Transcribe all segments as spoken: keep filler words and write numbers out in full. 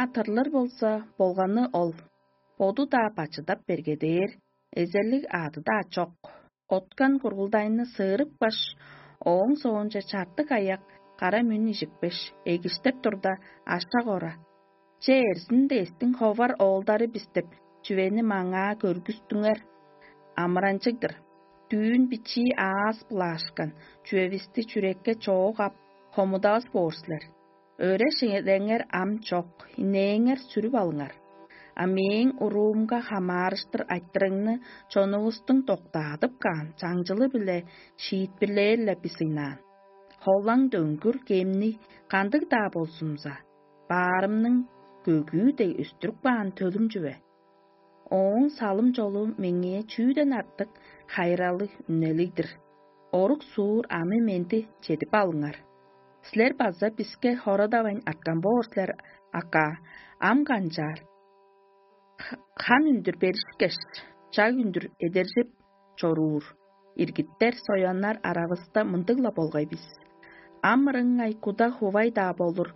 А тырлыр болза, болганы ол. Боду-даа бачыдап бергедээр, эзелиг аъды-даа чок. Откан кургулдайны сыырыпкаш, ооң соонче чартык аяк кара мүн ижикпеш, эгиштеп турда, ашак ора: «Че, эрзин дээстиң ховар оолдары бис» — деп, чүвени маңаа көргүстүңер. Амыранчыг-дыр. Дүүн бичии аас-биле ашкан чүвевисти чүрекке чоок ап, хомудавас боор силер. Өре-ширеңер ам чок, инээңер сүрүп алыңар. А мээң уруумга хамаарыштыр айтырыгны чонувустуң доктаадып каан чаңчылы-биле шиитпирлээр-ле бис ыйнаан. Холаң дөңгүр кемни кандыг-даа болзумза, баарымның көгүү дег өстүрүп каан төлүм чүве. Ооң салым-чолу меңээ чүүден артык хайыралыг үнелиг-дир. Орук-суур ам эменди чедип алыңар. Силер база биске хорадавайн арткан боор силер, ака, ам канчаар? Х-, хан үндүр беришкеш, чаг үндүр эдержип чоруур иргиттер, сояннар аравыста мындыг-ла болгай бис. Ам ырыңай куда хувай-даа болур.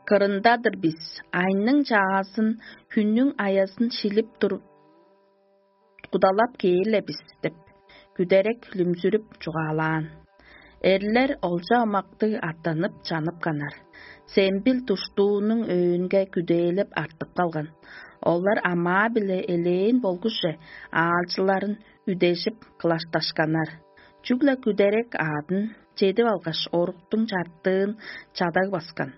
Кырында-дыр бис, айның чаазын, хүннүң аязын шилип тур, кудалап кээр-ле бис деп, күдерек хүлүмзүрүп чугаалаан. Эрлер олча омактыг аттанып чанып канар. Сембил душтуунуң өөнге күдээлеп артып калган. Олар амаа-биле элээн болгуже аалчыларын үдежип кылашташканнар. Чүгле күдерек аадын чедип алгаш, оруктуң чартыын чадаг баскан.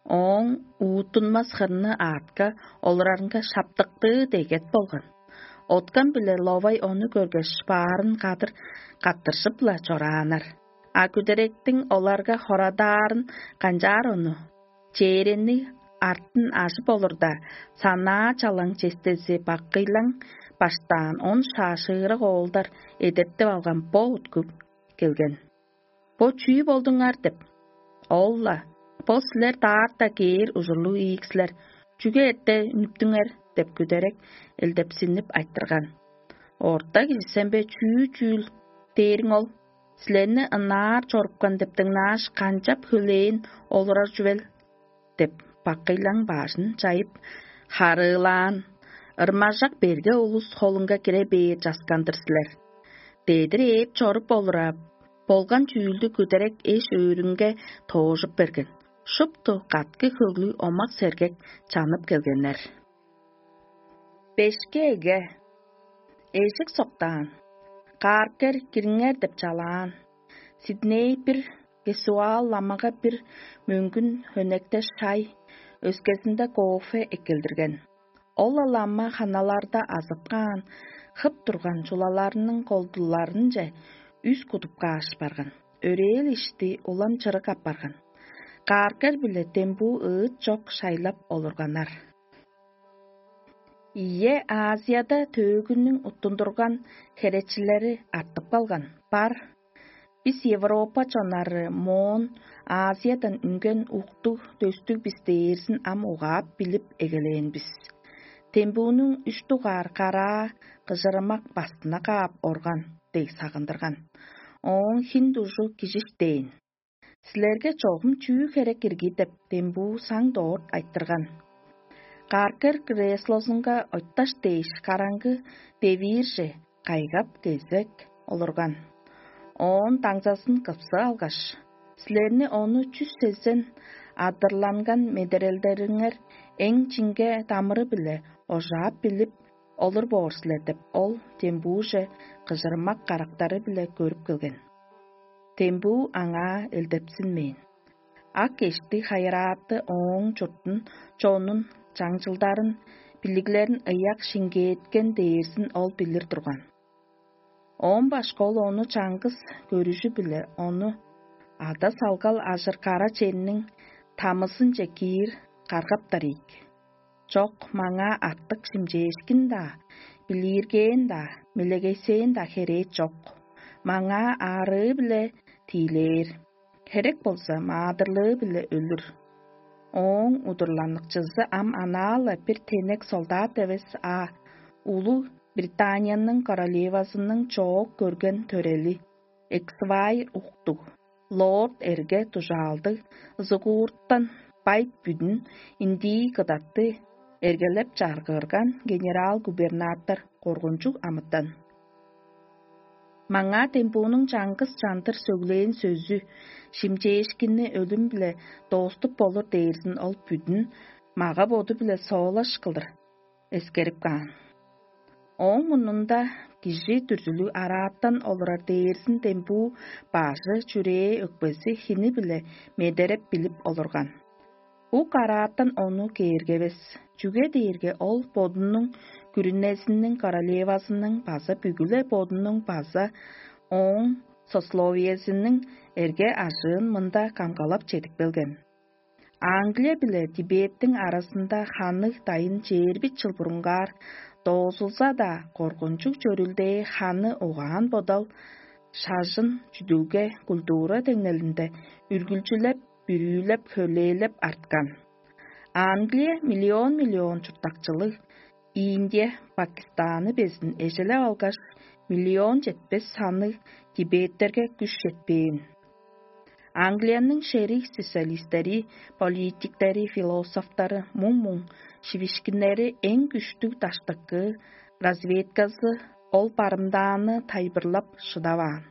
Ооң уутунмас хырны аатка олурарынга шаптыктыы дегет болган. Откан биле ловай ону көргеш, баарын кадыр каттыржып-ла чорааннар. А күдеректиң оларга хорадаарын канчаар ону? Чээрени артын ажып олурда, санаа чалаң честези баккыйлаң баштаан он шаашыырак оолдар эдертип алган бо уткуп келген. «Бо чүү болдуңар?» — деп. Ол-ла: «Бо силер даарта кээр ужурлуг ийик силер. Чүге эрте үнүптүңер?» — деп күдерек элдепсинип айтырган. «Орта кижисен бе, чүү чүүл дээриң ол? Силерни ынаар чорупкан деп дыңнааш, канчап хөлээн олурар чүвел?» — деп, бакыйлаң бажын чайып, харыылаан: «Ырмажак берге улус холунга кире бээр часкан-дыр силер. Дедир ээп чоруп олура болган чүүлдү күдерек эш-өөрүнге тоожуп берген. Шупту каткы хөглүг омак-сергек чанып келгеннер». Бешке эге. Эжик соктаан. Кааркер кириңер деп чалаан. Сидней бир Гесуал ламага бир мөңгүн хөнекте шай, өскезинде кофе эккелдирген. Ол-ла лама ханаларда азып каан, хып турган чулаларының колдуларынче үс кудуп кааш барган. Өрээл ишти улам чырык апарган. Кааркер биле дембуу ыыт чок шайлап олурганнар. Ийе, Азияда төөгүнүң уттундурган херечилери артып калган. Бар, бис Европа чоннары моон Азиядан үнген уктуг-дөстүг бис дээрзин ам угаап билип эгелээн бис. Тембүүнүң үш дугаар караа кыжырымак бастына каап орган дег сагындырган. Ооң хин дужу кижиштээн. «Силерге чогум чүү херек ирги?» — деп, дембуу саң дорт айтырган. Каркер креслозунга ойташ дээш, караңгы девиирже кайгап кезек олурган. Оон даңзазын кыпсып алгаш: «Силерни ону чүс сезен адырланган медерелдериңер эң чинге дамыры-биле ожаап билип олур боор силер» — деп, ол дембууже кыжырмак карактары-биле көрүп келген. Дембуу аңаа элдепсинмээн. Ак эшти хайырааты ооң чуртун, чонун, чаңчылдарын, билиглерин ыяк шиңгээткен дээрзин ол билир турган. Оон башка ол ону чаңгыс көрүжү-биле ону ада салгал ажыр кара черниң тамызынче киир каргаптар ийик. Чок, маңаа артык шимчээшкин-даа, билииргээн-даа, мелегейсээн-даа херээ чок. Маңаа аарыы-биле тиилээр, херек болза, маадырлыы-биле өлүр. Ооң удурланыкчызы ам анаа-ла бир тенек солдат эвес, а улуг Британияның королевазының чоок көрген төрели, эксвайр уктуг, лорд эрге дужаалдыг, зугууртан бай бүдүн индии кыдатты эргелеп чаргыырган генерал-губернатор коргунчуг амытан. Маңаа дембуунуң чаңгыс чандыр сөглээн сөзү, шимчээшкинни өлүм-биле дооступ болур дээрзин ол бүдүн мага-боду-биле соолаш кылдыр эскерип каан. Ооң мурнунда кижи дүрзүлүг арааттан олурар дээрзин дембуу бажы, чүрээ, өкпези хини-биле медереп билип олурган. Ук арааттан ону кээргевес, чүге дээрге ол бодунуң күрүнезиниң королевазының база бүгү-ле бодунуң база ооң сословиезиниң эрге ажыын мында камгалап чедип келген. Англия биле Тибеттиң аразында ханныг дайын чээрби чыл бурунгаар доозулза-даа, коргунчуг чөрүлдээ ханы угаан-бодал, шажын, чүдүлге, культура деңнелинде үргүлчүлеп, бүрүүлеп, хөлээлеп арткан. Англия миллион-миллион чурттакчылыг Индия, Пакистаны безин эжелеп алгаш, миллион четпес санныг тибеттерге күш четпээн. Англияның шериг специалистери, политиктери, философтары, муң-муң шивишкиннери эң күштүг даштыкы разведказы ол барымдааны тайылбырлап шыдаваан.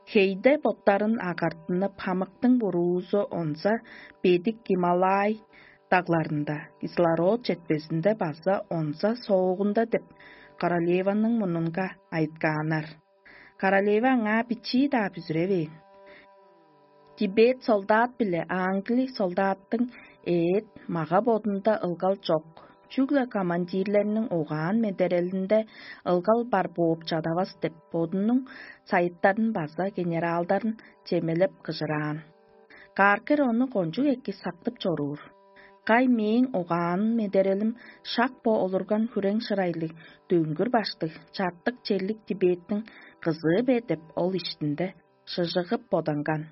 Хейде боттарын агартынып, хамыктың буруузу онза бедик Гималай дагларында, кислород четпезинде база онза соогунда деп королеваның мурнунга айыткааннар. Королева аңаа бичии-даа бүзүревээн. Тибет солдат биле англи солдаттың эът мага-бодунда ылгал чок. Чүгле командирлерниң угаан медерелинде ылгал бар бооп чадавас деп, бодунуң сайыттарын база генералдарын чемелеп кыжыраан. Кааркер ону кончуг эки сактып чоруур. Кай мээң угаан медерелим шак бо олурган хүрең шырайлыг, дөңгүр баштыг, чартык черлик Тибеттиң кызыы бе деп, ол иштинде шыжыгып боданган.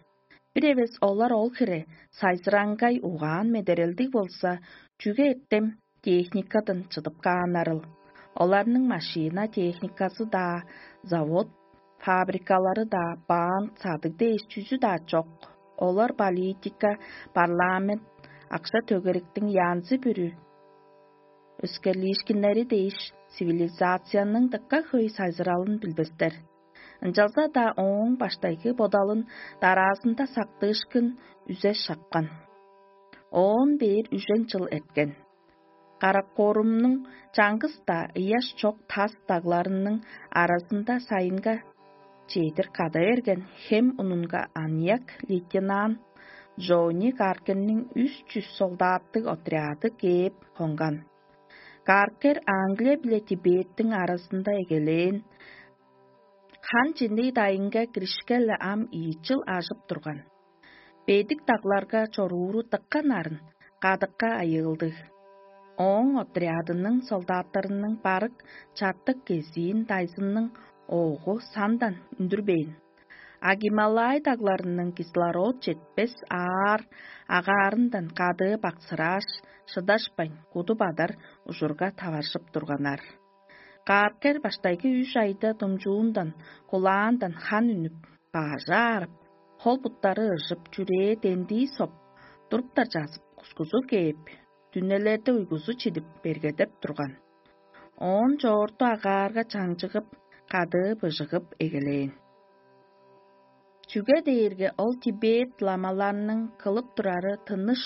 Бир эвес олар ол хире сайзыраңгай угаан медерелдиг болза, чүге эртем техникадан чыдып кааннарыл? Оларның машина техниказы-даа, завод, фабрикалары-даа, баан, садыг дээш чүзү-даа чок. Олар политика, парламент, акша-төгериктиң янзы-бүрү өскерлиишкиннери дээш, цивилизацияның дыка хөй сайзыралын билбестер. Ынчалза-даа ооң баштайгы бодалын дараазында сактыышкын үзе шапкан. Оон бээр үжен чыл эрткен. Каракорумнуң чаңгыс-даа ыяш чок тас дагларының аразында сайынга чедир када берген хем унунга аныяк лейтенант Джонни Каркерниң үс чүс солдаттыг отряды кээп хонган. Каркер Англия биле Тибеттиң аразында эгелээн, хан чинниг дайынга киришкеле ам ийи чыл ажып турган. Бедик дагларга чорууру дыка нарын, кадыкка айыылдыг. Ооң отрядының солдаттарының барык чартык кезиин дайзынның оогу сандан үндүрбээн. А Гималай дагларының кислород четпес аар агаарындан кадыы баксырааш, шыдашпайн, куду бадар ужурга таваржып турганнар. Кааркер баштайгы үш айда думчуундан, кулаандан хан үнүп, баажы аарып, хол-буттары ыжып, чүрээ дендии соп, туруптар чазып, кускузу кээп, дүнелерде уйгузу чидип, бергедеп турган. Оон чоорту агаарга чаңчыгып, кадыы быжыгып эгелээн. Чүге дээрге ол Тибет ламаларының кылып турары тыныш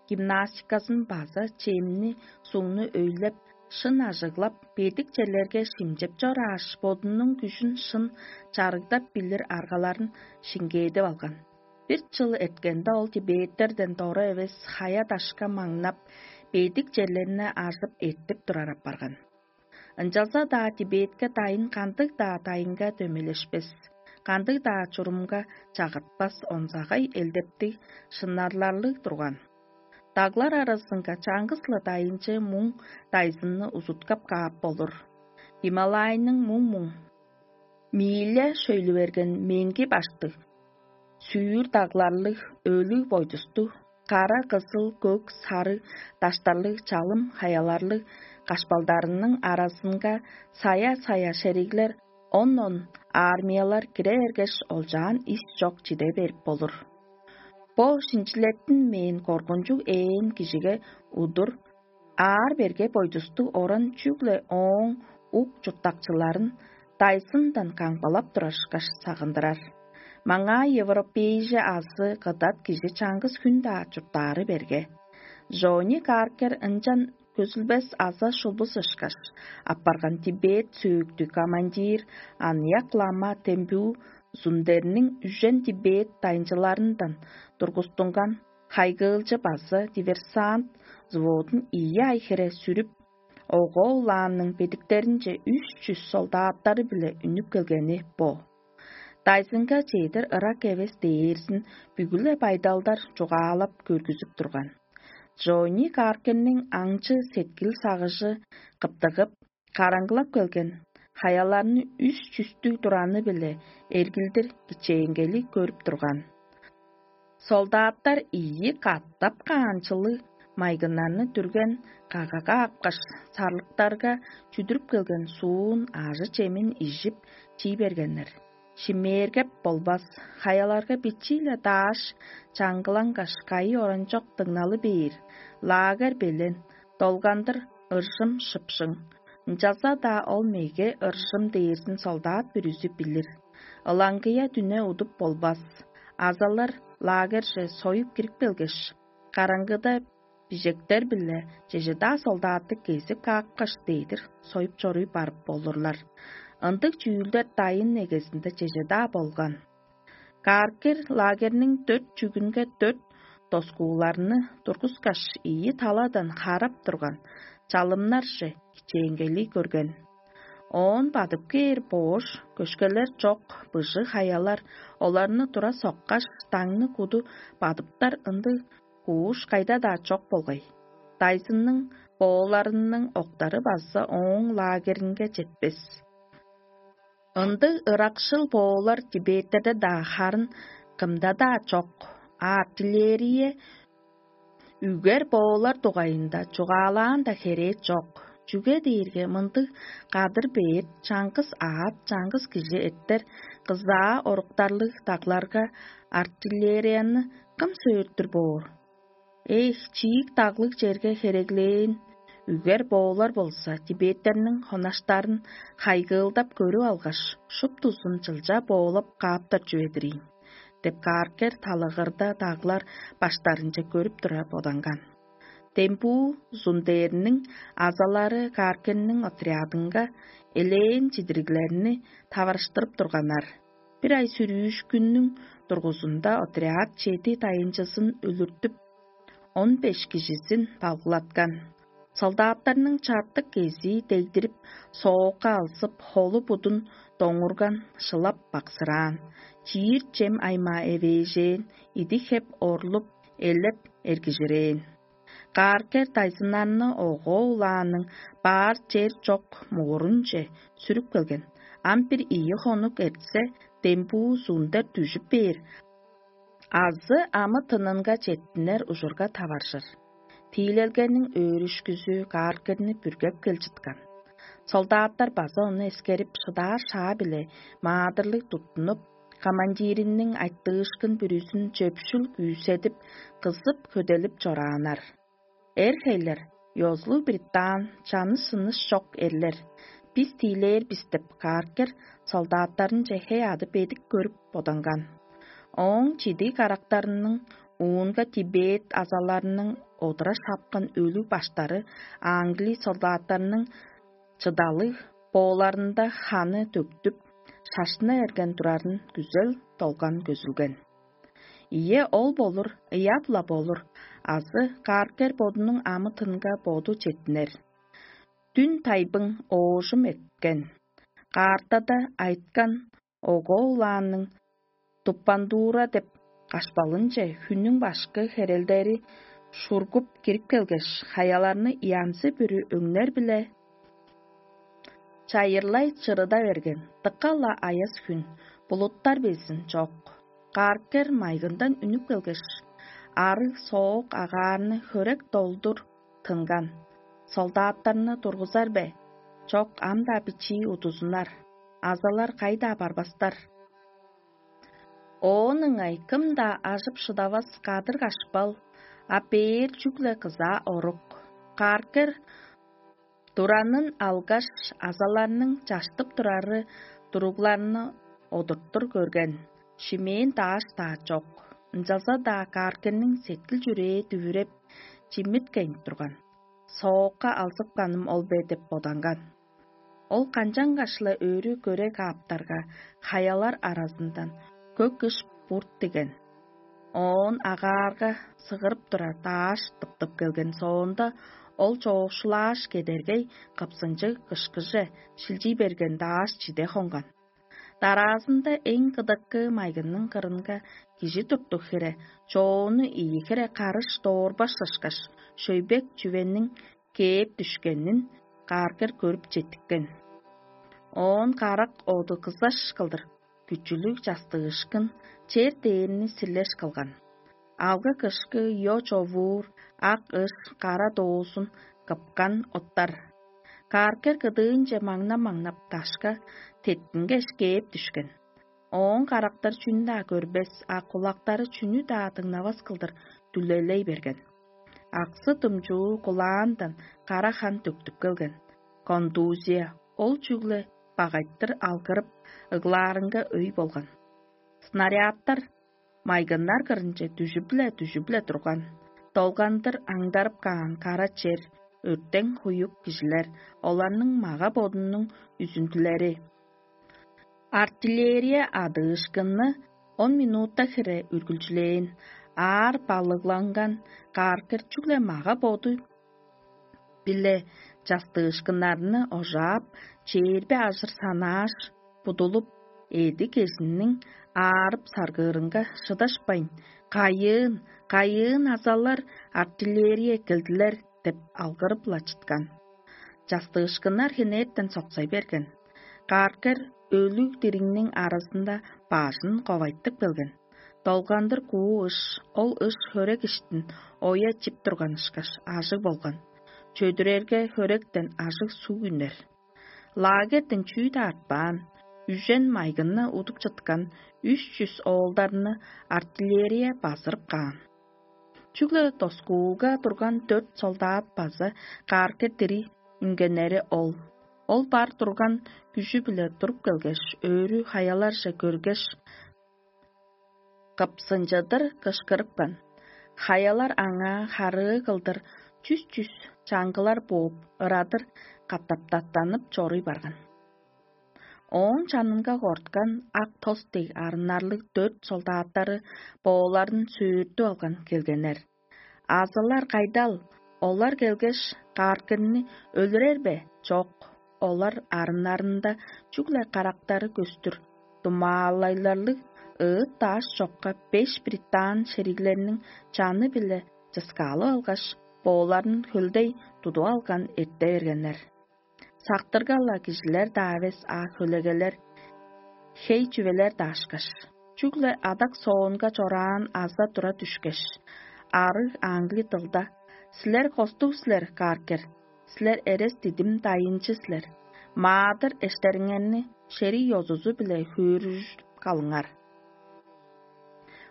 гимнастиказын база чемни, сугну өйлеп, шын ажыглап, бедик черлерге шимчеп чорааш, бодунуң күжүн шын чарыгдап билир аргаларын шиңгээдип алган. Бир чыл эрткенде ол тибеттерден дора эвес хая-дашка маңнап, бедик черлерни ажып эртип турар апарган. Ынчалза-даа Тибетке дайын кандыг-даа дайынга дөмелешпес, кандыг-даа чурумга чагыртпас онзагай элдептиг шынарларлыг турган. Даглар аразынга чаңгыс-ла дайынчы муң дайзынны узуткап каап болур. Гималайның муң-муң мииле шөйлү берген меңги баштыг, сүүр дагларлыг, өлүг бойдустуг, кара, кызыл, көк, сарыг даштарлыг, чалым хаяларлыг кашпалдарының аразынга сая-сая шериглер, он-он армиялар кире бергеш, олчаан ис чок чиде берип болур. Бо шинчилеттинмээн коргунчуг ээн кижиге удур аар-берге бойдустуг оран чүгле ооң ук чурттакчыларын дайзындан камгалап турарышкаш сагындырар. Маңаа европейже азы кыдат кижи чаңгыс хүн-даа чурттаары берге. Жони Каркер ынчан көзүлбес аза шулбус ышкаш, апарган Тибет сөөктүг командир аныяк лама Тембүү Зундерниң үжен Тибет дайынчыларындан тургустунган хайгыылчы база диверсант взводун ийи ай хире сүрүп, Ого улаанның бедиктеринче үш чүс солдаттары-биле үнүп келгени бо. Дайзынга чедир ырак эвес дээрзин бүгү-ле байдалдар чугаалап көргүзүп турган. Джонни Каркенниң аңчы сеткил сагыжы кыптыгып, караңгылап келген хаяларны үс чүстүг тураны-биле эргилдир кичээнгели көрүп турган. Солдаттар ийи катап каанчылыг майгыннарны дүрген кагага апкаш, сарлыктарга чүдүрүп келген суун, ажы-чемин ижип, чий бергеннер. Шимээргеп болбас, хаяларга бичии-ле дааш чаңгылангаш, кайы оранчок дыңналы бээр, лагерь белен, долгандыр ыржым шыпшың. Ынчалза-даа ол меге ыржым дээрзин солдат бүрүзү билир. Ылаңгыя дүне удуп болбас. Азалар лагерже союп кирип келгеш, караңгыда бижектер-биле чеже-даа солдатты кезип каапкаш, дедир союп чоруй барып болурлар. Ындыг чүүлдер дайын эгезинде чеже-даа болган. Каркер лагерниң дөрт чүгүнге дөрт доскууларны тургускаш, ийи таладан харап турган чалымнарже кичээнгели көрген. Оон бадып кээр боош көшкелер чок, быжыг хаялар оларны тура соккаш, даңны куду бадыптар ындыг кууш кайда-даа чок болгай. Дайзынның бооларының октары база ооң лагеринге четпес. Ындыг ыракшыл боолар Тибеттерде-даа харын кымда-даа чок, а артиллерия, үгер боолар дугайында чугаалаан-даа херээ чок. Чүге дээрге мындыг кадыр бээр чаңгыс аът, чаңгыс кижи эртер кызаа оруктарлыг дагларга артиллерияны кым сөөртүр боор? Эх, чиик даглыг черге хереглээн үгер боолар болза, тибеттерниң хонаштарын хайгыылдап көрүп алгаш, шуптузун чылча боолап кааптар чүве-дир ийин, деп Каркер талагырда даглар баштарынче көрүп тура боданган. Дембуу Зундерниң азалары Каркерниң отрядынга элээн чидириглерни таварыштырып турганнар. Бир ай сүрүүшкүннүң дургузунда отряд чеди дайынчызын өлүртүп, он беш кижизин балгылаткан. Солдаттарның чартык кезии дегдирип, соокка алзып, холу-будун доңурган, шылап баксыраан, чиир чем аймаа эвээжээн, идик-хеп орлуп, элеп эргижирээн. Кааркер дайзыннарны ого улааның баар чер чок муурунче сүрүп келген. Ам бир ийи хонук эртсе, дембуу зундер дүжүп бээр, азы амы-тынынга четтинер ужурга таваржыр. Тиилелгениң өөрүшкүзү Кааркерни бүргеп кел чыткан. Солдаттар база ону эскерип, шыдаар шаа-биле маадырлыг туттунуп, командириниң айтыышкын бүрүзүн чөпшүл күүседип, кызып-көделип чорааннар. Эр-хейлер, ёзулуг бритаан, чаныс-шыныс чок эрлер, бис тиилээр бис деп, Кааркер солдаттарынче хей-аъды бедик көрүп боданган. Ооң чидиг карактарының уунга Тибет азаларының одура шапкан өлүг баштары англи солдаттарының чыдалыг бооларында ханы төктүп, шаштына эрген турарын күзел долган көзүлген. Ийе, ол болур, ыяап-ла болур, азы Кааркер бодунуң амы-тынга боду четтинер. Дүн тайбың оожум эрткен. Каартада айыткан ого улаанның Туппандуура деп кашпалынче хүннүң башкы херелдери шургуп кирип келгеш, хаяларны янзы-бүрү өңнер-биле чайырлай чырыда берген. Дыка-ла аяс хүн, булуттар безин чок. Кааркер майгындан үнүп келгеш, арыг соок агаарны хөрек долдур тынган. Солдаттарны тургузар бе? Чок, ам-даа бичии удузунар. Азалар кайда барбастар. Оон ыңай кым-даа ажып шыдавас кадыр кашпал, а бээр чүгле кызаа орук. Кааркер туранын алгаш, азаларның чаштып турары туругларны одурттур көрген, шимээн дааш-даа чок. Ынчалза-даа кааркерниң сеткил-чүрээ дүвүреп, чимиткен турган. Соокка алзыпканым ол бе деп боданган. Ол канчангаш-ла өрү көре кааптарга, хаялар аразындан көк ыш бурт диген. Оон агаарга сыгырып турар дааш тыптып келген соонда, ол чоокшулааш кедергей кыпсынчыг кышкыже шилчий берген дааш чиде хонган. Дараазында эң кыдыккы майгынның кырынга кижи туттуг хире, чоону ийи хире карыш доорбаш ышкаш, шөйбек чүвениң кээп дүшкенин кааргер көрүп четтиккен. Оон карак оду кызаш кылдыр күчүлүг частыышкын чер дээрни сирлеш кылган. Алгы-кышкы, йо човуур, ак ыш, кара доозун кыпкан оттар. Кааргер кыдыынче маңнап-маңнап дашка теткингеш кээп дүшкен. Ооң карактар чүнү-даа көрбес, а кулактары чүнү-даа дыңнавас кылдыр дүлелей берген. Аксы-дымчуу кулаандан кара хан төктүп келген. Контузия, ол чүгле багайтыр алгырып, ыглаарынга өй болган. Снарядтар майгыннар кырынче дүжүп-ле, дүжүп-ле турган. Долгандыр аңдарып каан кара чер, өртең хуюк кижилер, оларның мага-бодунуң үзүндүлери. Артиллерия адыышкынны он минутта хире үргүлчүлээн, аар балыгланган кааргер чүгле мага-боду биле частыышкыннарны ожаап, чээрби ажыр санааш, будулуп, эди-кезинниң аарып-саргыырынга шыдашпайн: «Кайыын, кайыын азалар артиллерия эккелдилер!» — деп алгырып-ла чыткан. Частыышкыннар хенертен соксай берген. Кааргер өлүг-дириңниң аразында бажын ковайтып келген. Долгандыр куу ыш, ол ыш хөрек иштин оя чип турган ышкаш, ажыг болган. Чөдүрерге хөректен ажыг суг үнер. Лагерьден чүү-даа артпаан, үжен майгынны удуп чыткан үш чүс оолдарны артиллерия базырып каан. Чүгле доскууга турган дөрт солдат база кааргер дири үнгеннери ол. Ол бар турган күжү-биле туруп келгеш, өрү хаяларже көргеш, кыпсынчыдыр кышкырыпкан. Хаялар аңаа харыы кылдыр чүс-чүс чаңгылар бооп, ырадыр катаптаттанып чоруй барган. Ооң чанынга корткан ак тос дег арыннарлыг дөрт солдаттары бооларын сөөртүп алган келгеннер. Азылар кайдал, олар келгеш, кааргырны өлүрер бе? Чок, олар арыннарында чүгле карактары көстүр, думаалайларлыг ыыт-даш чокка беш британ шериглерниң чаны-биле чыскаалып алгаш, бооларын хөлдей тудуп алган эрте бергеннер. Сактырга-ла кижилер-даа эвес, а хөлегелер, хей чүвелер-даа ышкаш. Чүгле адак соонга чораан аза тура дүшкеш, арыг аңгы дылда: «Силер костуг силер, кааргер, силер эрес дидим дайынчы силер. Маадыр эштериңерни шерий ёзузу-биле хөөрүжүп калыңар».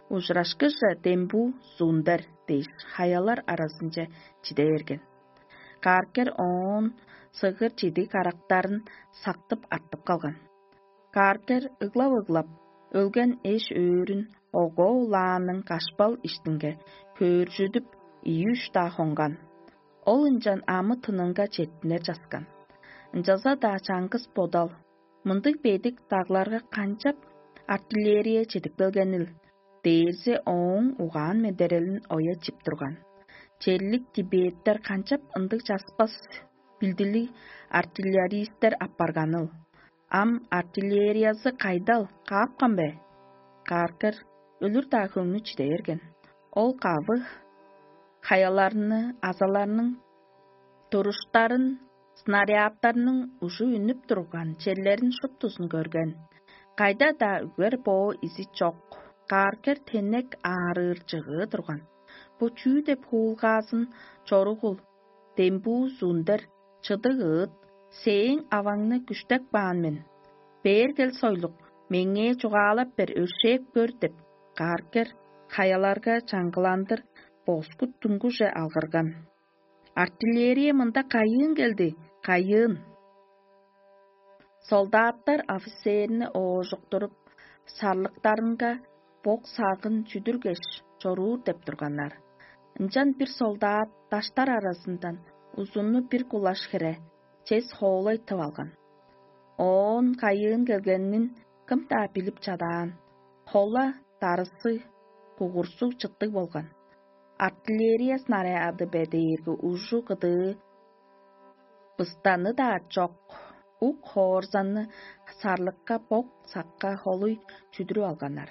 Ужурашкыже дембуу зундер дээш, хаялар аразынче чиде берген. Кааргер оон сыгыр чидиг карактарын сактып артып калган. Кааргер ыглап-ыглап, өлген эш-өөрүн огоо улааның кашпал иштинге хөөржүдүп, ийи-үш-даа хонган. Ол ынчан амы-тынынга четтинер часкан. Ынчалза-даа чаңгыс бодал: «Мындыг бедик дагларга канчап артиллерия чедип келгенил?» — дээрзи ооң угаан-медерелин оя чип турган. Черлик тибеттер канчап ындыг часпас билдилиг артиллеристтер апарганыл? Ам артиллериязы кайдал, каапкан бе? Кааргер өлүр-даа хөңнү чиде берген. Ол кавы хаяларны, азаларның туруштарын, снарядтарның ужу үнүп турган черлерин шуптузун көрген. Кайда-даа үгер-боо изи чок. Кааргер тенек аарыыр чыгыы турган. Бо чүү деп хуулгаазын чоругул, дембуу зундер, чыдыг ыыт, сээң аваңны күштеп каан мен. Бээр кел, сойлук, Меңээ чугаалап бер, өршээп көр» — деп, кааркер хаяларга чаңгыландыр боскут туңгуже алгырган. «Артиллерия мында кайыын келди, кайыын?» Солдаттар офицерни оожуктуруп, сарлыктарынга бок сагын чүдүргеш, чоруур деп турганнар. Ынчан бир солдат даштар аразындан узунну бир кулаш хире чес хоолай тып алган. Оон кайыын келгенин кым-даа билип чадаан. Хола дарысы кугурсуг чыттыг болган. Артиллерия снаряды бе дээрге ужу кыдыы быстаны-даа чок, ук хоорзанны сарлыкка бок сакка холуй чүдүрүп алганнар.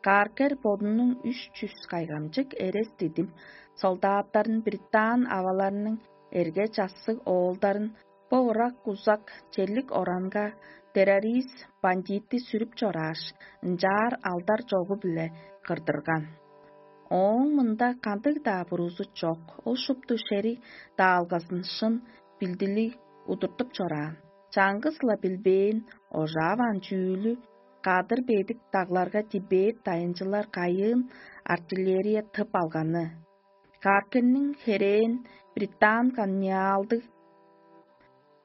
Кааркер бодунуң үш чүс кайгамчык эрес дидим солдаттарын, британ аваларының эрге-чассыг оолдарын бо ырак-узак черлик оранга террорист бандитти сүрүп чорааш, ынчаар алдар чогу-биле кырдырган. Ооң мында кандыг-даа бурузу чок, ол шупту шериг даалгазын шын билдилиг удуртуп чораан. Чаңгыс-ла билбээн, ожааваан чүүлү кадыр бедик дагларга Тибет дайынчылар кайыын артиллерия тып алганы. Каркенниң херээн британ колониалдыг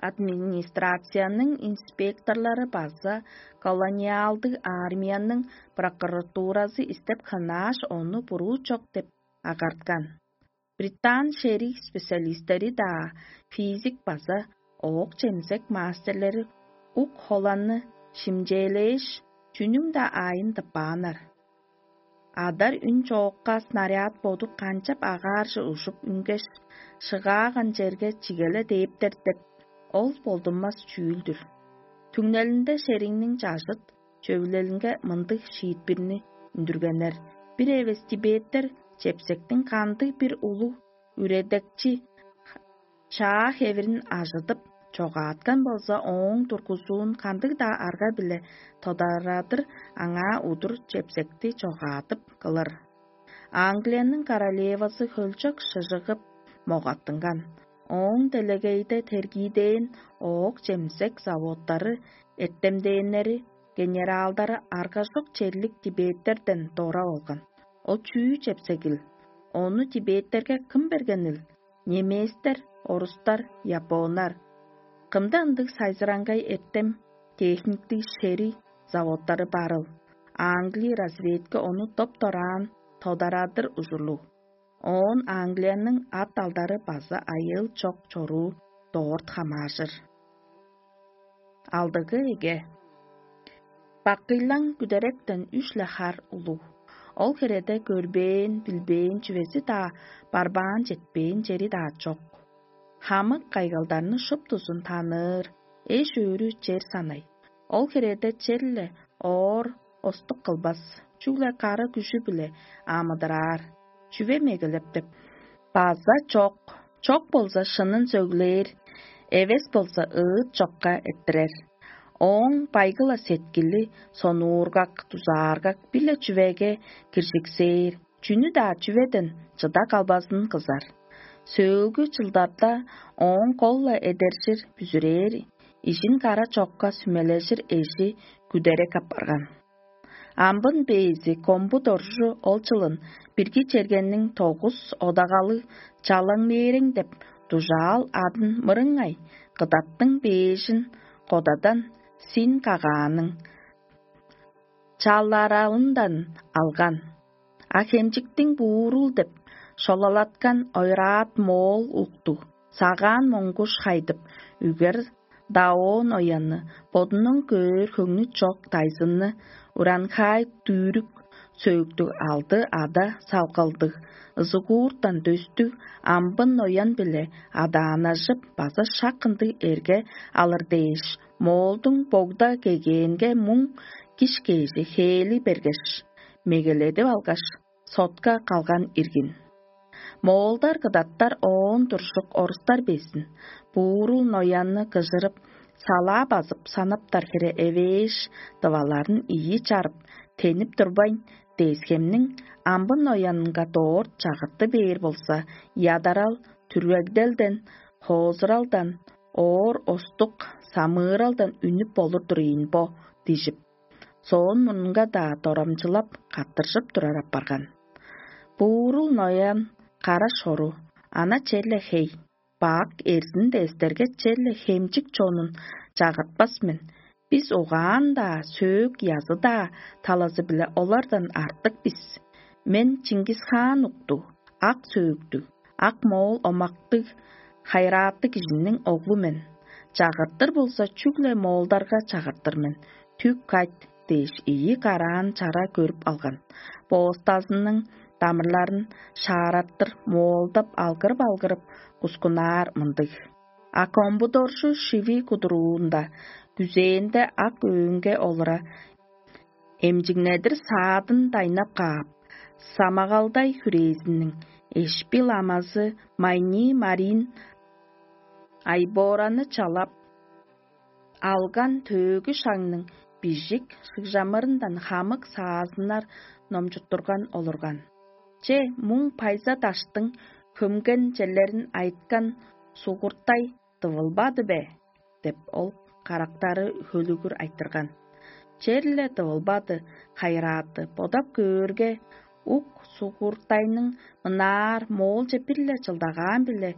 администрацияның инспекторлары база колониалдыг армияның прокуратуразы истеп хынааш, ону буруу чок деп агарткан. Британ шериг специалистери-даа, физик база оок-чемзек мастерлери ук холанны шимчээлээш, чүнүң-даа аайын тыппааннар. Адар үн чоокка снаряд боду канчап агаарже ужуп үнгеш, шыгааган черге чигеле дээптер деп, ол болдунмас чүүл-дүр. Түңнелинде шериңниң чажыт чөвүлелинге мындыг шиитпирни үндүргеннер: бир эвес тибеттер чепсектиң кандыг-бир улуг үредекчи чаа хевирин ажыдып, чогааткан болза, ооң тургузуун кандыг-даа арга-биле тодарадыр аңаа удур чепсекти чогаадып кылыр. Англияның королевазы хөлчок шыжыгып могаттынган. Ооң делегейде тергиидээн оок-чемзек заводтары, эртемдээннери, генералдары аргажок черлик тибеттерден дора болган. Ол чүү чепсегил? Ону тибеттерге кым бергенил? Немецтер, орустар, японнар. Кымда ындыг сайзыраңгай эртем, техниктиг шериг заводтары барыл? Англи разведка ону доп-дораан тодарадыр ужурлуг. Оон Англияның ат-алдары база айыыл чок чоруу дорт хамаажыр. Алдыгы эге. Бакыйлаң күдеректен үш-ле хар улуг. Ол хиреде көрбээн, билбээн чүвези-даа, барбаан четпээн чери-даа чок. Хамык кайгалдарны шуптузун таныыр, эш-өөрү чер санай. Ол хиреде черле оор остук кылбас, чүгле кара күжү-биле амыдыраар. Чүве мегелеп деп? База чок, чок болза шынын сөглээр, эвес болза ыыт чокка эрттирер. Ооң байгыла сеткили сонуургак, дузааргак, биле чүвеге киржиксээр, чүнү-даа чүведен чыда калбазын кызар. Сөөлгү чылдарда ооң кол-ла эдержир, бүзүрээр, ижин кара чокка сүмележир эжи күдерек апарган. Амбын бээзи Комбу доржу ол чылын бирги чергенниң тогус одагалыг чалаң мээрең деп дужаал адын мырыңай кыдаттың бээжин кодадан син кагааның чаларалындан алган. А хемчиктиң буурул деп шолалаткан ойраат моол уктуг, сагаан моңгуш хайдып, үгер даоон оянны, бодунуң көөр хөңнү чок дайзынны, уранхай дүүрүк сөөктүг алды ада салгалдыг, ызыгууртан дөстүг амбын ноян-биле адаанажып, база шак ындыг эрге алыр дээш, моолдуң богда кегээнге муң киш кежи хээли бергеш, мегеледип алгаш, сотка калган иргин. Моолдар кыдаттар оон туржук орустар безин, буурул ноянны кыжырып, салаа базып санаптар хире эвээш, дываларын ийи чарып, тенип турбайн, дээскемниң амбын ноянынга доор чагырты бээр болза, ядарал, түргегделден, хоозуралдан, оор остук, самыыралдан үнүп болур-дур ийин бо, дижип. соон мурнунга-даа дорамчылап, каттыржып турар апарган. Буурул ноян кара шору, ана черле хей, бак эрзин дээстерге черле хемчик чонун чагыртпас мен. Бис угаан-даа, сөөк язы-даа талазы-биле олардан артык бис. Мен Чингисхаан уктуг, ак сөөктүг, ак моол омактыг, хайрааттыг кижиниң оглу мен. Чагыртыр болза, чүгле моолдарга чагыртыр мен. Түк кайт дээш ийи караан чара көрүп алган. Боостазының дамырларын шаараттыр моолдап алгырып-алгырып кускунаар мындыг: «А комбудоржу шиви кудуруунда, күзээнде ак өөнге олура, эмчиңнедир саадын дайнап каап, самагалдай хүрээзиниң эшпи ламазы Майнии Марин Айбораны чалап алган төөгү шагның бижик шыгжамырындан хамык саазыннар номчуттурган олурган. Че, муң пайза даштың хөмген черлерин айыткан сугуртай дывылбады бе?» — деп ол карактары хөлүгүр айтырган. «Черле дывылбады, хайырааты, бодап көөрге, ук сугуртайның мынаар моолче бир-ле чылдагаан-биле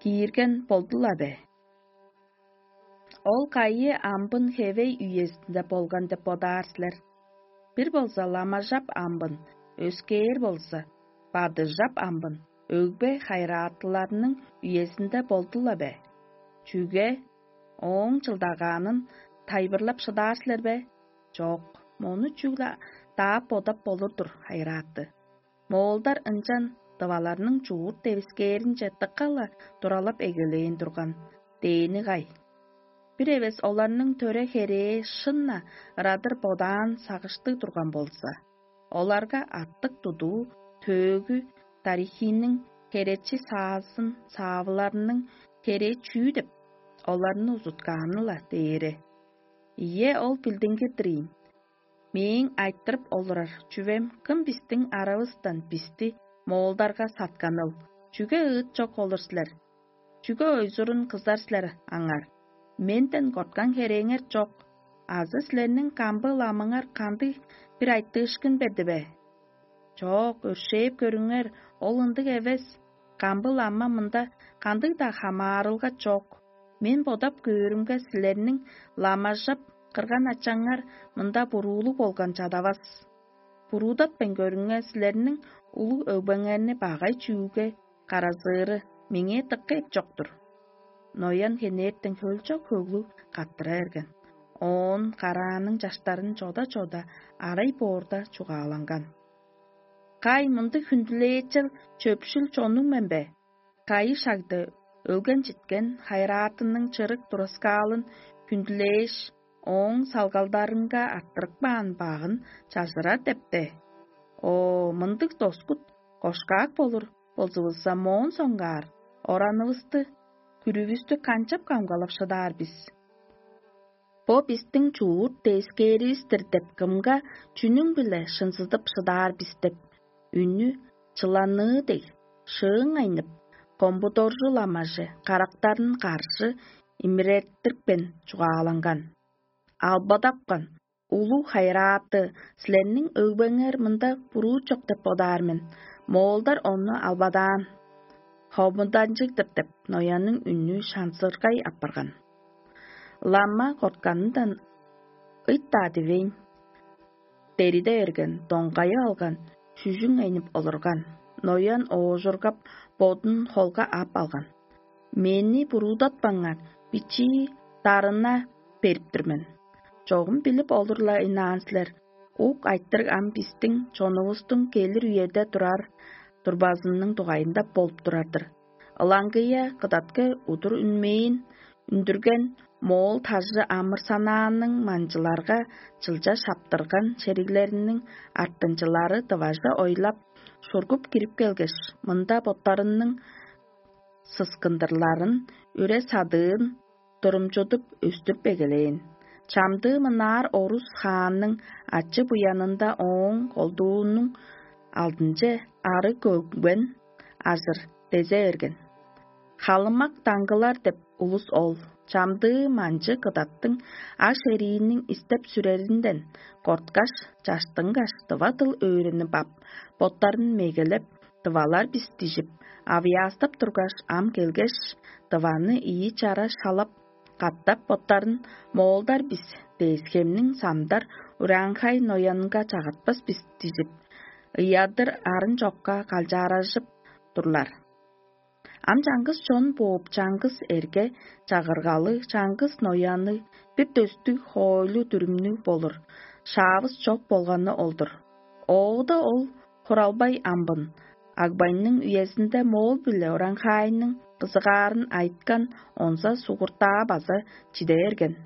киирген болду-ла бе? Ол кайы амбын хевей үезинде болган деп бодаар силер? Бир болза ламажап амбын, өскээр болза бадыжап амбын өгбе хайыраатыларның үезинде болду-ла бе? Чүге ооң чылдагаанын тайылбырлап шыдаар силер бе? Чок, мону чүгле даап-бодап болур-дур, хайырааты. Моолдар ынчан дываларның чуут девискээринче дыка-ла туралап эгелээн турган дээни кай? Бир эвес оларның төре-херээ шын-на ырадыр бодаан сагыштыг турган болза, оларга аттыг тудуу, төөгү, тарихиниң херечи саазын саавыларының херээ чүү деп оларны узуткааны-ла дээре? Ийе, ол билдингир-дир ийин. Мээң айтырып олурар чүвем: кым бистиң аравыстан бисти моолдарга сатканыл? Чүге ыыт чок олур силер? Чүге ойзурун кызар силер аңар? Менден корткан херээңер чок, азы силерниң камбы ламаңар кандыг бир айтыышкын берди бе? Чок, өршээп көрүңер, ол ындыг эвес. Камбы лама мында кандыг-даа хамаарылга чок. Мен бодап көөрүмге, силерниң ламажап кырган ачаңар мында буруулуг болган чадавас. Буруудатпайн көрүңер, силерниң улуг өгбеңерни багай чүүге каразыыры меңээ дыка эп чок-тур». Ноян хенертен хөлчок хөглүг каттыра берген. Оон карааның чаштарын чода-чода арай боорда чугааланган: «Кай, мындыг хүндүлээчел чөпшүл чоннуң мен бе? Кайы шагда өлген-читкен хайыраатының чырык тураскаалын хүндүлээш, ооң салгалдарынга арттырып каан багын чажырар деп бе? О, мындыг доскут кошкак болур болзувусса, моон соңгаар оранывысты, күрүвүстү канчап камгалап шыдаар бис? Бо бистиң чуут девискээривис-тир деп кымга чүнүң-биле шынзыдып шыдаар бис?» — деп үнү чыланыы дег шыыңайнып, комбудоржу ламажы карактарын каржы имиреттирипкен чугааланган: «Албадапкан, улуг хайырааты, силерниң өгбеңер мында буруу чок деп бодаар мен. Моолдар ону албадаан, хомуданчыг-дыр» — деп, Ноянның үнү шанзыргай апарган. Лама кортканындан ыйт-даа дивейн, дериде берген, доңгайып алган, шүжүң айнып олурган. Ноян оожургап, бодун холга ап алган: «Мени буруудатпаңар, бичии дарына берип тур мен. Чогум билип олур-ла ынаан силер, ук айтырыг ам бистиң чонувустуң келир үеде турар турбазының дугайында болуп турар-дыр. Ылаңгыя кыдатка удур үнмээн үндүрген моол тажы амырсанааның манчыларга чылча шаптырган шериглериниң артынчылары дыважы ойлап, шургуп кирип келгеш, мында боттарының сыскындырларын, үре-садыын турумчудуп өстүрүп эгелээн. Чамдыы мынаар орус хаанның ачы-буянында ооң колдуунуң алдынче ары көгбен азыр дезе берген. Халымак даңгылар деп улус ол. Чамдыы манчы кыдаттың аш-эрииниң истеп-сүреринден корткаш, чаштынгаш, тыва дыл өөренип ап, боттарын мегелеп, тывалар бис дижип, авыяастап тургаш, ам келгеш, тываны ийи чара шалап, катап боттарын моолдар бис, дээскемниң самдар ураанхай ноянга чагатпас бис дижип, ыядыр арын чокка калчааражып турлар. Ам чаңгыс чон бооп, чаңгыс эрге чагыргалы, чаңгыс нояны, бир дөстүг хоойлу дүрүмнүг болур, шаавыс чок болганы ол-дур. Оуда ол хуралбай амбын, Агбайның үезинде моол биле оранхаайның кызыгаарын айткан, онза сугуртаа база чиде берген.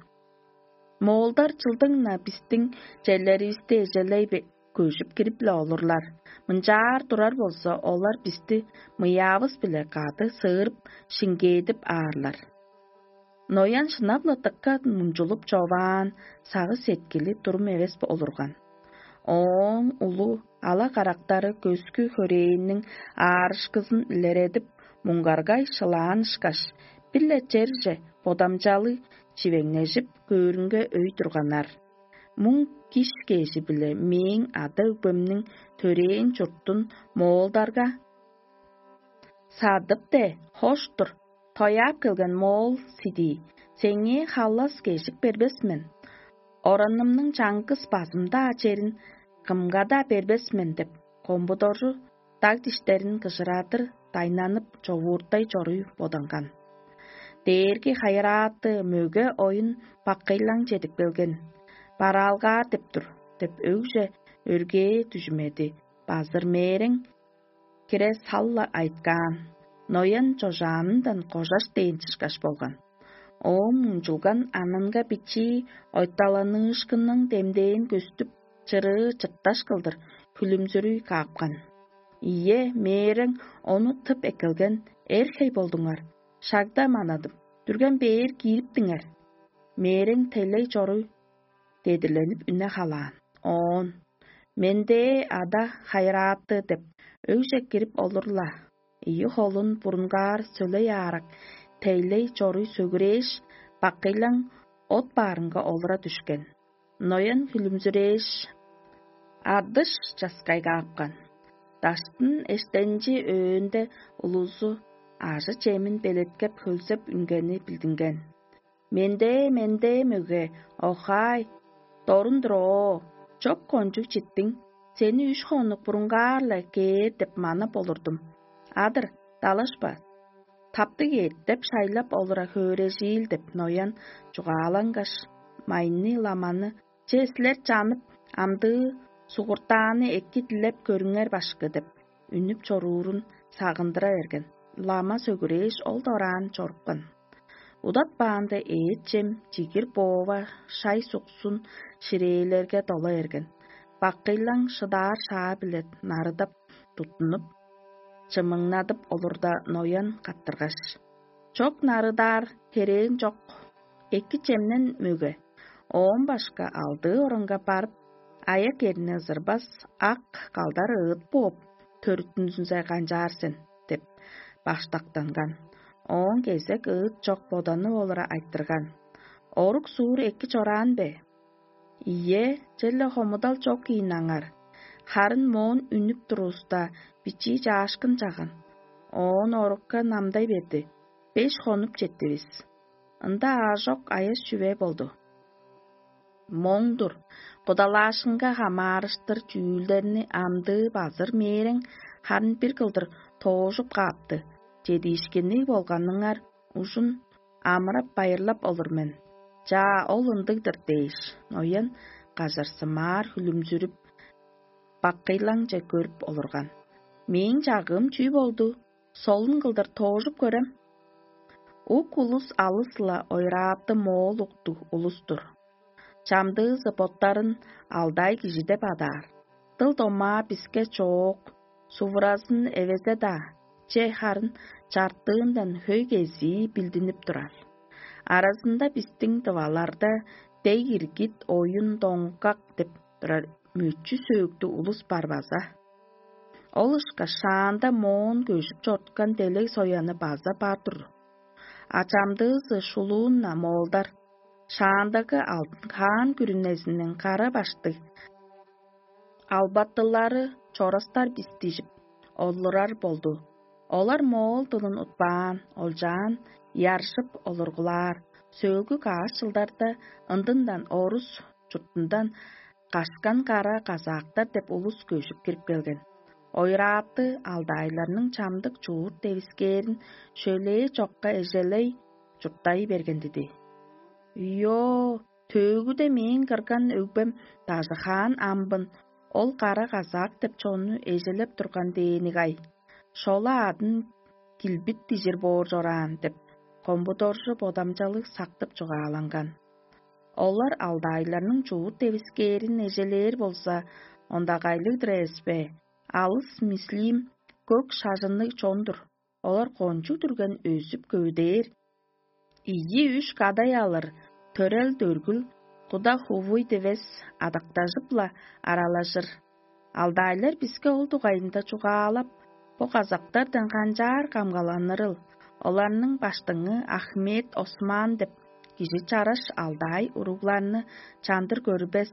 Моолдар чылдың-на бистиң черлеривисти эжелей көжүп кирип-ле олурлар. Мынчаар турар болза, олар бисти мыяавыс-биле кады сыырып, шиңгээдип аарлар. Ноян шынап-ла дыка мунчулуп човаан, сагыш-сеткили турум эвес олурган. Ооң улу ала карактары көскү хөрээниң аарышкызын илередип, муңгаргай шылаан ышкаш, бир-ле черже бодамчалыг чивеңнежип, көөрүнге өй турганнар. Муң киш кежи-биле мээң ада-өгбемниң төрээн чуртун моолдарга садып-те, хош-тур, тояап келген моол сидии, сеңээ халлас кежик бербес мен. Оранымның чаңгыс базым-даа черин кымга-даа бербес мен деп, комбудоржу даг диштерин кыжырадыр дайнанып човууртай чоруй боданган. Дээрги хайырааты мөге оюн баккыйлаң чедип келген. Бараалгаар деп тур деп өгже өргээ дүжүмеди базыр мээрең кире сал-ла айткаан. Ноян чожаанындан кожаш дээн чышкаш болган. Ооң мунчулган анынга бичии ойталаныышкынның демдээн көстүп, чырыы чыпташ кылдыр хүлүмзүрүй каапкан. Ийе, мээрең ону тып эккелген, эр хей болдуңар. Шагда манадым, дүрген бээр киириптиңер. Мээрең тейлей чоруй дедирленип үне халаан. Оон: «Мендээ ада хайырааты» деп, өгже кирип олур-ла. Ийи холун бурунгаар сөлей аарак, тейлей чоруй сөгүрээш, баккыйлаң от баарынга олура дүшкен. Ноян хүлүмзүрээш, адыш часкай каапкан. Даштын эштенчи өөнде улузу ажы-чемин белеткеп хөлзеп үнгени билдинген. «Мендээ, мендээ, мөге, охаай, дорун-дур оо, чоп кончуг читтиң, сени үш хонук бурунгаар-ла кээр деп манап олурдум. Адыр, далашпа, таптыг эът деп шайлап олура хөөрежиил» деп Ноян чугаалангаш, майны ламаны: «Че, силер чанып, амдыы сугуртааны эки дилеп көрүңер, башкы» деп үнүп чоруурун сагындыра берген. Лама сөгүрээш, ол дораан чорупкан. Удатпаанда эът-чем, чигир-боова, шай-суксун ширээлерге дола берген. Баккыйлаң шыдаар шаа-биле нарыдап туттунуп, чымыңнадып олурда, Ноян каттыргаш: «Чок нарыдаар херээң чок, эки чемнен, мөге. Оон башка алдыы орунга барып, аяк-эрни ызырбас, ак калдар ыыт бооп, төрүттүнзүнзе канчаар сен» деп баштактанган. Ооң кезек ыыт чок боданы олура айтырган: «Орук-суур эки чораан бе?» «Ийе, черле хомудал чок ийин аңар. Харын моон үнүп турувуста, бичии чаашкын чаган. Оон орукка намдай берди. Беш хонуп четтивис. Ында аажок аяш чүве болду». Моң-дур, кудалаашкынга хамаарыштыр чүүлдерни амдыы базыр мээрең харын бир кылдыр тоожуп каапты. Чедиишкинниг болганыңар ужун амырап-байырлап олур мен. «Чаа, ол ындыг-дыр» дээш, Ноян кажарсымаар хүлүмзүрүп, баккыйлаңче көрүп олурган. «Мээң чагыым чүү болду? Солун кылдыр тоожуп көрем». Ук улус алыс-ла ойраапты моол уктуг улус-тур. Чамдыызы боттарын алдай кижи деп адаар. Дыл-домаа биске чоок, сувуразын эвезе-даа, че харын чартыындан хөй кезии билдинип турар. Аразында бистиң дываларда дег иргит, оюн доңгак деп турар мөчү сөөктүг улус бар база. Ол ышкаш шаанда моон көжүп чорткан делег сояны база бар-дыр. А чамдыызы шулуун-на моолдар, шаандагы алдын хаан күрүнезиниң кара баштыг албаттылары чорастар бис дижип олурар болду. Олар моол дылын утпаан, олчаан, яржып олургулаар. Сөөлгү каас чылдарда ындындан орус чуртундан кашкан кара казаактар деп улус көжүп кирип келген. Ойрааты алдайларның чамдык чуут девискээрин шөлээ чокка эжелей чурттай берген диди. Йоо, төөгүде мээң кырган өгбем дажыхаан амбын ол кара казаак деп чонну эжелеп турган дээни-гай. Шола адын килбит дижир боор чораан деп, комбудоржу бодамчалыг сактып чугааланган. Олар алдайларның чуут девискээрин эжелээр болза, ондагайлыг-дыр эвеспе? Алыс мислиим көк шажынныг чон-дур. Олар кончуг дүрген өзүп көвүдээр. Ийи-үш кадай алыр, төрел-дөргүл, куда хувуй дивес адактажып-ла аралажыр. Алдайлар биске ол дугайында чугаалап, бо казактардан канчаар камгаланырыл? Оларның баштыңы Ахмед Осман деп кижи чараш алдаай уругларны чандыр көрбес,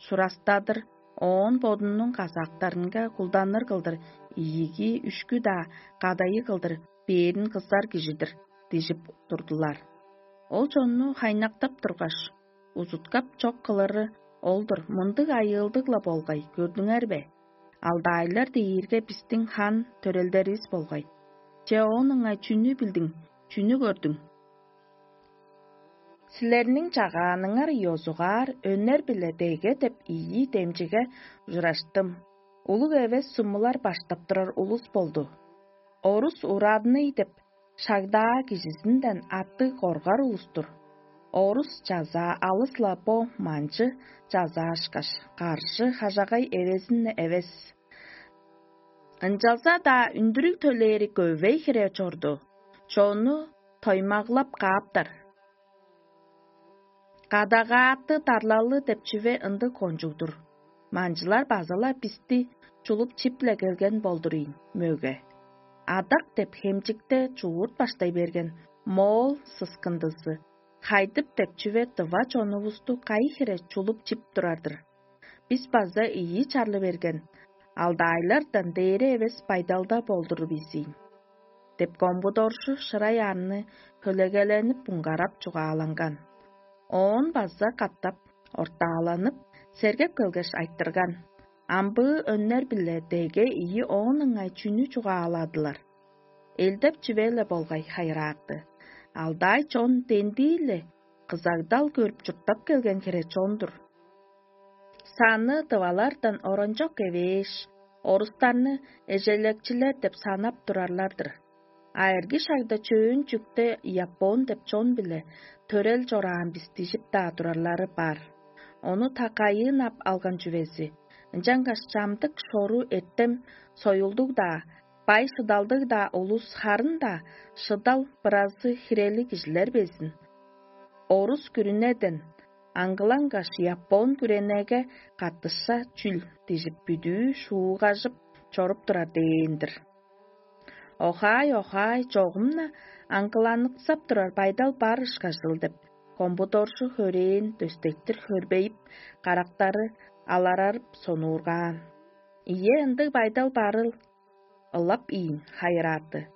сурастадыр, оон бодунуң казактарынга кулданыр кылдыр ийиги үшкү-даа кадайы кылдыр бээрин кызар кижи-дир дижип турдулар. Ол чонну хайнактап тургаш, узуткап чок кылыры ол-дур, мындыг айыылдыг-ла болгай, көрдүңер бе? Алдаайлар дээрге бистиң хан төрелдеривис болгай. Че оон ыңай чүнү билдиң, чүнү көрдүң? Силерниң чагааныңар ёзугаар өнер-биле деге деп ийи демчиге ужураштым. Улуг эвес сумулар баштап турар улус болду. Орус урадный деп шагдаа кижизинден аттыг коргар улус-тур. Орус чазаа алыс-ла бо манчы чазаашкаш, каржы хажагай эвезин-не эвес. Ынчалза-даа үндүрүг төлээри көвей хире чорду, чонну тоймаглап кааптар. Кадагааты дарлалы деп чүве ындыг кончуг-дур. Манчылар база-ла бисти чулуп чип-ле келген болдур ийин, мөге. Адак деп хемчикте чуурт баштай берген моол сыскындызы, хайдып деп чүве дыва чонувусту кайы хире чулуп чип турар-дыр. Бис база ийи чарлы берген, алдаайлардан дээре эвес байдалда болдур бис ийин. Деп комбудоржу шырай арны хөлегеленип муңгарап чугааланган. Оон база катап ортааланып, сергеп келгеш айтырган. Амбыы өннер-биле деге ийи оон ыңай чүнү чугааладылар? Элдеп чүве-ле болгай хайыраакты. Алдаай чон дендии-ле кызагдал көрүп чурттап келген хире чон-дур. Саны дывалардан оранчок эвээш, орустарны эжелекчилер деп санап турарлар-дыр. А эрги шагда чөөн чүкте япон деп чон-биле төрел чораан бис дижип-даа турарлары бар. Ону такайыын ап алган чүвези, ынчангаш чамдык шору эртем союлдуг-даа, бай шыдалдыг-даа улус харын-даа шыдал быразы хирели кижилер безин. Орус күрүнеден аңгылангаш япон күренеге каттыша чүл дижип бүдүү шуугажып чоруп турар дээн-дир. Охаай, охаай, чогум-на аңгыланыксап турар байдал бар ышкажыл деп, комбудоржу хөрээн дөстектир хөрбейип, карактары аларарып сонуургаан. Ийе, ындыг байдал барыл, ылап ийин хайырааты.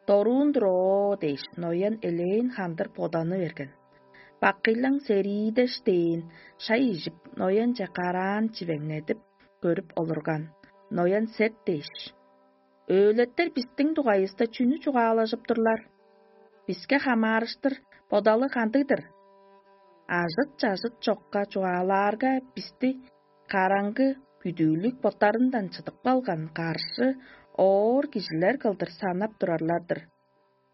Доруун-дур оо дээш, ноян элээн хандыр боданы берген. Бакыйлаң сериидеш дээн шай ижип, ноянче караан чивеңнедип көрүп олурган. Ноян сет дээш: «Өөлеттер бистиң дугайывыста чүнү чугаалажып турлар? Биске хамаарыштыр бодалы кандыг-дыр? Ажыт-чажыт чокка чугаалаарга, бисти караңгы бүдүүлүк боттарындан чыдып калган каршы оор кижилер кылдыр санап турарлар-дыр.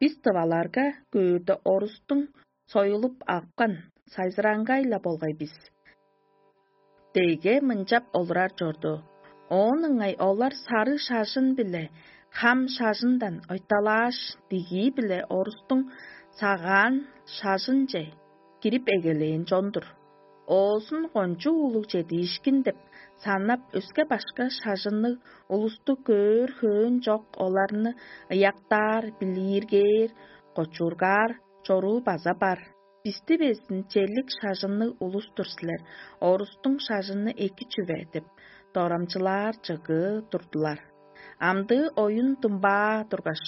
Бис тываларга көөрде орустуң союлуп апкан сайзыраңгай-ла болгай бис». Деге мынчап олурар чорду. Оон ыңай олар сары шажын-биле хам шажындан ойталааш, дигии-биле орустуң сагаан шажынче кирип эгелээн чон-дур. оозун кончуг улуг чедиишкин деп санап, өске-башка шажынныг улусту көөр хөөн чок оларны ыяктаар, билииргээр, кочуургаар чоруу база бар. Бисти безин черлик шажынныг улус-тур силер, орустуң шажыны эки чүве деп дорамчылаар чыгыы турдулар. Амдыы оюн думбаа тургаш,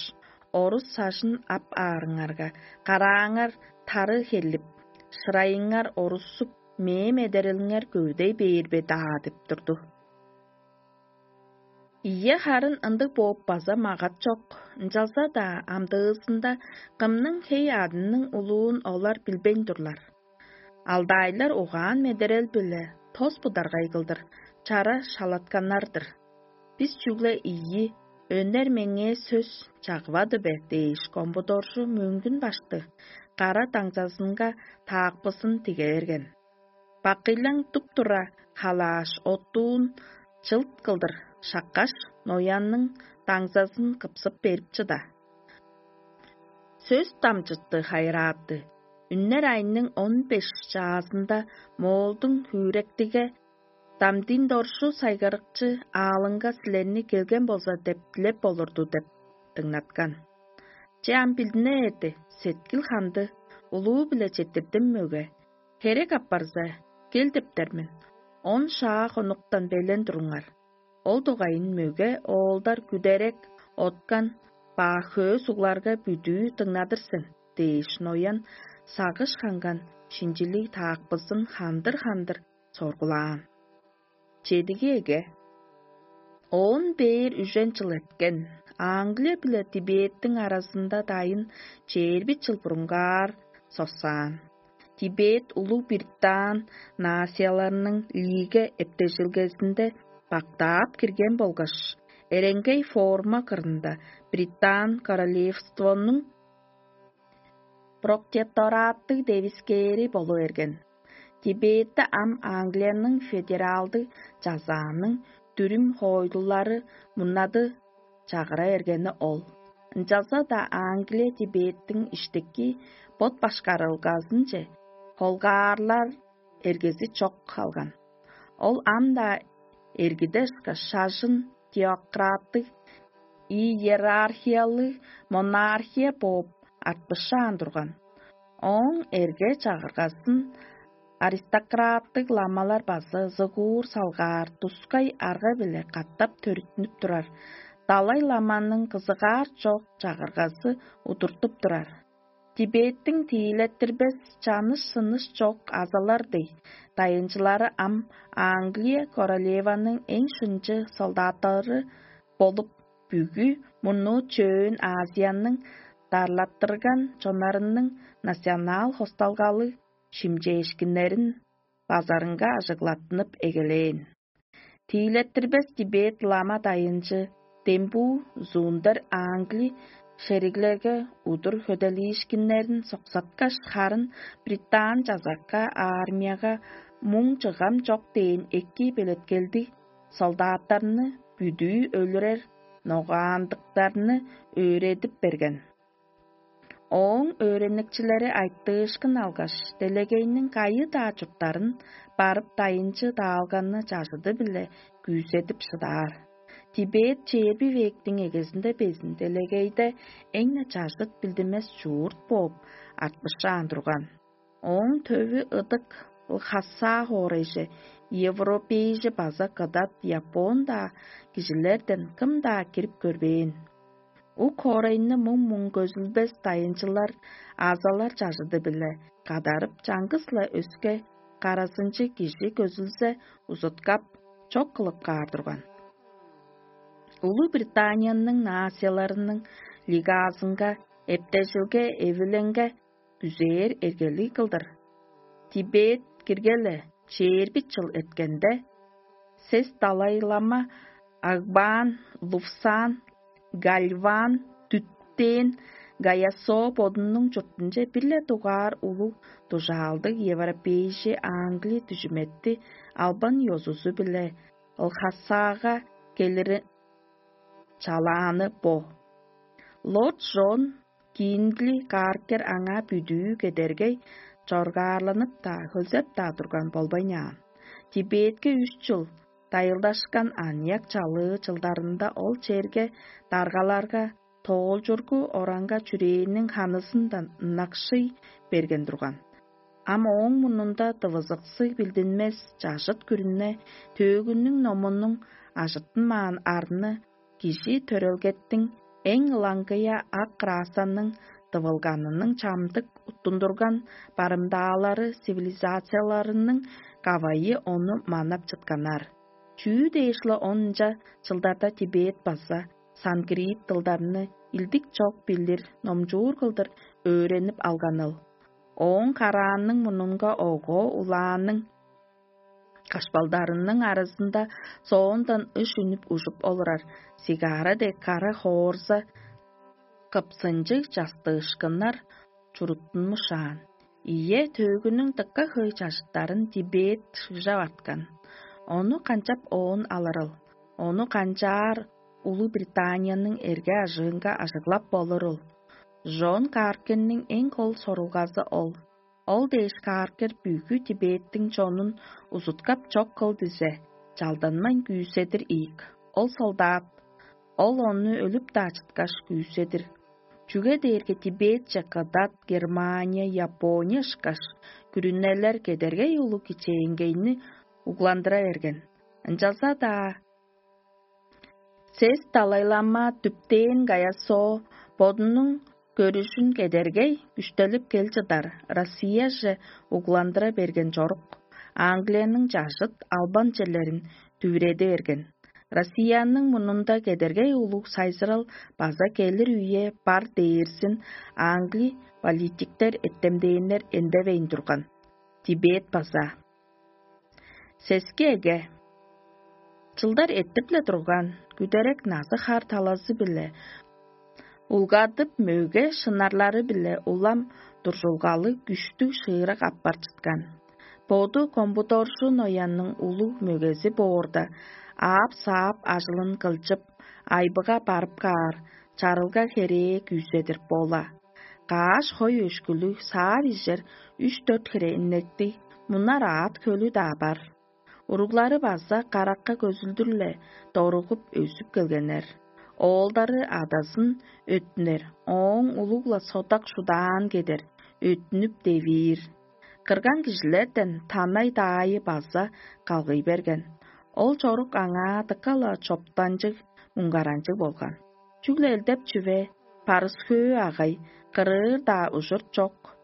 орус сажын ап аарыңарга, карааңар тары херлип, шырайыңар орусуп, мээм эдерелиңер көвүдей бээр бе даа деп турду. Ийе, харын ындыг бооп база магат чок, ынчалза-даа амдыызында кымның хей адының улуун олар билбейн турлар. Алдайлар угаан-медерел-биле тос бударгай кылдыр чара шалатканнар-дыр. Бис чүгле ийи, өнер меңээ сөс чагывады бе дээш, комбудоржу мөңгүн башты кара даңзазынга таакпызын тиге берген. Бакыйлаң туп-тура халааш, оттуун чылт кылдыр шаккаш, ноянның даңзазын кыпсып берип чыда. Сөс дамчытты хайыраатты. Үннер айның он беш чаазында моолдуң хүректиге Дамдин доржу сайгарыкчы аалыңга силерни келген болза деп дилеп болурду деп дыңнаткан. Че ам билдине эрди, сеткил ханды, улуу-биле четтирдим мөге. Херек апарза, кел дептер мен. Он шаа хонуктан белен туруңар. Ол дугайын мөге оолдар күдерек, откан ба хөө сугларга бүдүү дыңнадыр сен дээш, ноян сагыш ханган шинчилиг таакпызын хандыр-хандыр соргулаан. Чедиги эге. Оон бээр үжен чыл эрткен, Англия биле Тибеттиң аразында дайын чээрби чыл бурунгаар соксаан. Тибет улуг Британ нацияларының лиге эптежилгезинде бактаап кирген болгаш, эренгей форма кырында Британ королевствонуң протектораттыг девискээри болу берген. Тибетте ам Англияның федералдыг чазааның дүрүм хоойлулары мурнады чагыра бергени ол. Ынчалза-даа Англия Тибеттиң иштики бот башкарылгазынче холгаарлар эргези чок калган. Ол ам-даа эргиде ышкаш шажын теократтыг, иерархиялыг монархия бооп артпышаан турган. Ооң эрге чагыргазын аристократтыг ламалар база зыгуур салгаар тускай арга-биле катап төрүттүнүп турар. Далай ламаның кызыгаар чок чагыргазы удуртуп турар. Тибеттиң тиилеттирбес чаныш-сыныш чок азалар дей, дайынчылары ам Англия королеваның эң шынчы солдаттары болуп, бүгү мурнуу Чөөн Азияның дарлаттырган чоннарының национал хосталгалыг шимчээшкиннерин базарынга ажыглаттынып эгелээн. Тиилеттирбес Тибет лама дайынчы дембуу зуундер Англи шериглерге удур хөделиишкиннерин соксаткаш, харын Британ чазакка армияга муң чыгам чок дээн эки белеткелдиг солдаттарны бүдүү өлүрер ногаандыктарны өөредип берген. Ооң өөреникчилери айтыышкын алгаш, делегейниң кайы-даа чурттарын барып, дайынчы даалганны чажыды-биле күүседип шыдаар. Тибет чээрби вектиң эгезинде безин делегейде эң-не чажыт билдинмес чурт бооп артпышаан турган. Ооң төвү ыдык Лхаса хоорайже, европейже база кыдат, япон-даа кижилерден кым-даа кирип көрбээн. Ук хоорайны муң-муң көзүлбес дайынчылар азалар чажыды-биле кадарып, чаңгыс-ла өске каразынчы кижи көзүлзе, узуткап, чок кылып каар турган. Улуг Британияның нацияларының лигазынга, эптежилге, эвиленге күзээр эргелиг кылдыр. Тибет киргеле чээрби чыл эрткенде, сес далай-лама Агбаан, Лувсан, Гальван, Дүттээн, Гаясо бодунуң чуртунче бир-ле дугаар улуг дужаалдыг европейжи Англи дүжүметти албан ёзузу-биле Лхасага келири чалааны бо. Лорд Джон Киндли кааркер аңаа бүдүү кедергей чоргаарланып-даа, хөлзеп-даа турган болбайнаан. Тибетке үш чыл дайылдашкан аныяк чалыы чылдарында ол черге даргаларга тоолчургу оранга чүрээнниң ханызындан ынакшый берген турган. Ам ооң мурнунда дывызыксы билдинмес чажыт күрүне төөгүнүң номунуң ажыттынмаан арны кижи төрелгеттиң эң ылаңгыя ак красаның дывылганының чамдык уттундурган барымдаалары цивилизацияларының кавайы ону манап чытканнар. Чүү дээш-ла онча чылдарда Тибет база санскрит дылдарны илдик чок билир номчуур кылдыр өөренип алганыл. Ооң караанның мурнунга ого улааның кашпалдарының аразында соондан ыш үнүп ужуп олурар сигара дег кара хоорза кыпсынчыг частыышкыннар чуруттунмушаан. Ийе, төөгүнүң дыка хөй чажыттарын Тибет шыгжап арткан. Ону канчап оон алырыл? Ону канчаар Улуг Британияның эрге ажыынга ажыглап болурул? Жон Каркенниң эң кол сорулгазы ол. Ол дээш кааркер бүгү Тибеттиң чонун узуткап чок кыл дизе, чалданмайн күүседир ийик. Ол солдат, ол ону өлүп-даа чыткаш күүседир. Чүге дээрге Тибетче Кыдат, Германия, Япония ышкаш күрүнелер кедергей улуг кичээнгейни угландыра берген. Ынчалза-даа Сес далайлама дүптээн Гаясо бодунуң көрүжүн кедергей күштелип кел чыдар Россияже угландыра берген чорук, Англияның чажыт албан черлерин дүвүреди берген. Россияның мурнунда кедергей улуг сайзырал база келир үе бар дээрзин Англи политиктер эттемдээннер эндевейн турган. Тибет база. Сески эге. Чылдар эртип-ле турган, күдерек назы-хар талазы-биле улгадып, мөге шынарлары-биле улам дуржулгалы күштүг шыырак аппар чыткан. Боду Комбудоржу Ноянның улуг мөгези боорда, аап-саап ажылын кылчып, айбыга барып каар, чарылга херээ күүседир бола. Кааш хой өшкүлүг саар ижер үш-дөрт хире иннектиг мунар аът хөлү-даа бар. Уруглары база каракка көзүлдүр-ле доругуп өзүп келгеннер. Оолдары адазын өттүнер, ооң улуг-ла содак шудаан кедер, өттүнүп девиир. Кырган кижилерден танай-даайы база калгый берген. Ол чорук аңаа дыка-ла чоптанчыг, муңгаранчыг болган. Чүгле элдеп чүве, парыс-хөө агай, кырыыр-даа ужур чок.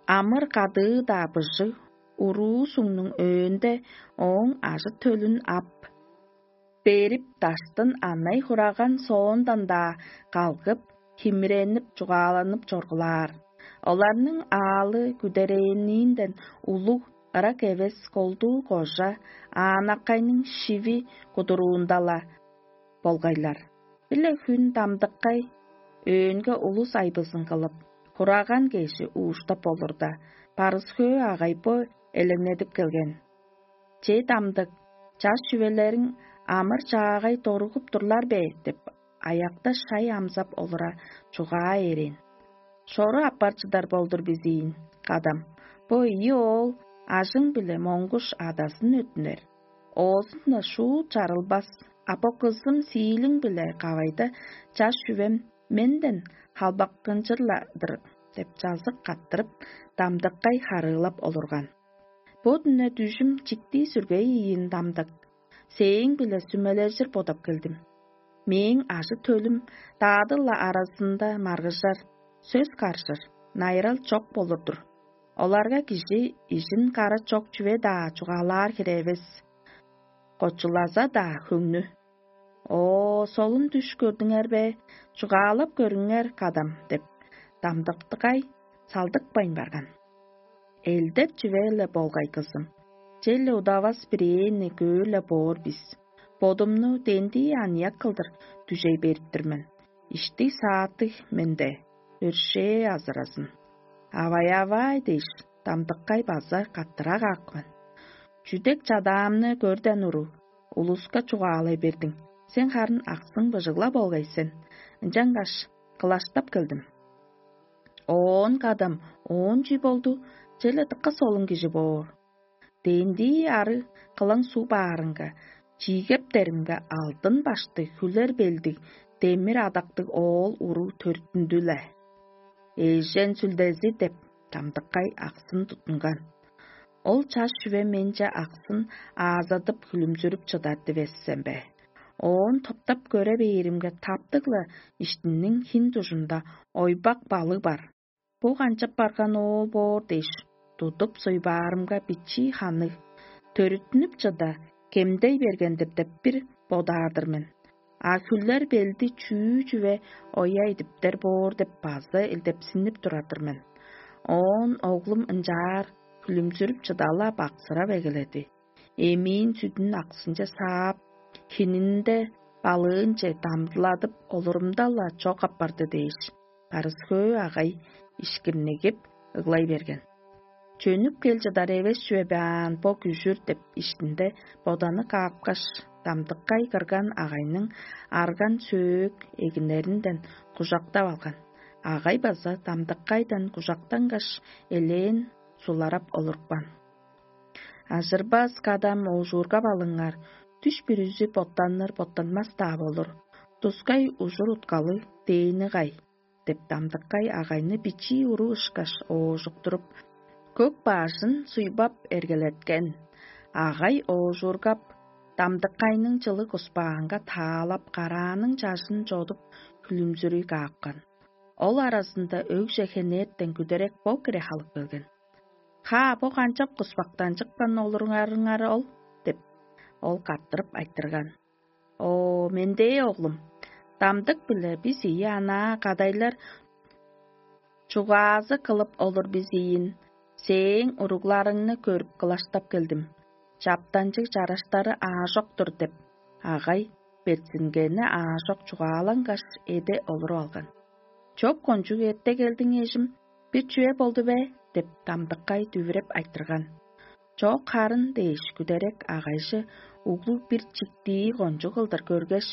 Амыр-кадыы-даа быжыг, уруу суңнуң өөнде ооң ажы-төлүн ап, берип, даштын анай хураган соондан-даа калгып, химиренип, чугааланып чоргулаар. Оларның аалы күдерээнинден улуг, ырак эвес колдуу кожа аанаккайның шиви кудуруунда-ла болгайлар. Бир-ле хүн дамдыккай өөнге улус айбызын кылып, хураган кежи ууштап болурда, парыс-хөө агай бо элеңнедип келген. Че, дамдык, чаш чүвелериң амыр-чаагай доругуп турлар бе деп, аякта шай амзап олура чугаа эрээн. Шору аппар чыдар болдур бизиин, кадам. Бо ийи оол ажың-биле моңгуш адасын өттүнер. Оозун-на шуут чарылбас, а бо кызым сиилиң-биле кавайда чаш чүвем менден халбаккынчыр-ла-дыр деп чазык каттырып, дамдыккай харыылап олурган. Бо дүне дүжүм чиктии сүргей ийин, дамдык. Сээң-биле сүмележир бодап келдим. Мээң ажы-төлүм даадыл-ла аразында маргыжар, сөс каржыр, найырал чок болур-дур. Оларга кижи ижин кара чок чүве-даа чугаалаар хире эвес. Кочулаза-даа хөңнү. Оо, солун дүш көрдүңер бе? Чугаалап көрүңер, кадам, деп, дамдыктыгай салдыкпайн барган. Элдеп чүве-ле болгай, кызым. Черле удавас бирээни көөр-ле боор бис. Бодумну дендии аныяк кылдыр дүжей берип тур мен. Иштиг-сааттыг менде, өршээ азыразын. Авай-авай дээш, дамдыккай база каттыра каапкан. Чүдек чадаамны көрден уруг, улуска чугаалай бердиң. Сен харын аксың быжыгла болгай сен. Ынчангаш кылаштап келдим. Оон кадам оон чүй болду, черле дыка солун кижи боор. Дээнди ары кылаң суг баарынга, чиигептеринге алдын баштыг хүлер белдиг, демир адактыг оол уруу төрүттүндү-ле. «Эжен сүлдези» деп, дамдыккай аксын туттунган. Ол чаш чүве менче аксын аазадып, хүлүмзүрүп чыдар дивес сен бе? Оон топтап көре бээримге, таптыг-ла иштинниң хин дужунда ойбак балыг бар. Бо канчап барган оол боор дээш, тудуп суйбаарымга, бичии ханныг, төрүттүнүп чыда, кемдей берген-дир деп бир бодаар-дыр мен. А хүлер белди чүү чүве оя идиптер боор деп база илдепсинип турар-дыр мен. Оон оглум ынчаар хүлүмзүрүп чыда-ла баксырап эгеледи. Эмиин сүдүн аксынче саап, хининде балыынче дамдыладып олурумда-ла чок апарды дээш, Барыс-Хөө агай ишкирнигип ыглай берген. «Чөнүп кел чыдар эвес чүве бе аан бо күжүр» деп иштинде боданы каапкаш, дамдыккай кырган агайның арган сөөк эгинеринден кужактап алган. Агай база дамдыккайдан кужактангаш, элээн суларап олурупкан. «Ажырбас кадам оожуургап алыңар, дүш бүрүзү боттаныр-боттанмас-даа болур, тускай ужур уткалы дээни кай?» — деп, дамдыккай агайны бичии уруу ышкаш оожуктуруп, көк бажын суйбап эргелеткен. Агай оожуургап, дамдыккайның чылыг куспаанга таалап, карааның чажын чодуп, хүлүмзүрүй каапкан. Ол аразында өгже хенертен күдерек бо кире халып келген. «Хаа, бо канчап куспактанчыпкан олуруңарыңар ол?» — деп, ол каттырып айтырган. «О, мендээ, оглум, дамдык-биле бис ийи анаа кадайлар чугаазы кылып олур бис ийин. Сээң уругларыңны көрүп, кылаштап келдим. Чаптанчыг чараштары аажок-тур» — деп, агай берзингени аажок чугаалангаш, эде олуруп алган. «Чоп кончуг эрте келдиң, эжим, бир чүве болду бе?» — деп, дамдыккай дүвүреп айтырган. «Чок харын» — дээш, күдерек агайжы углу бир чиктии кончуг кылдыр көргеш,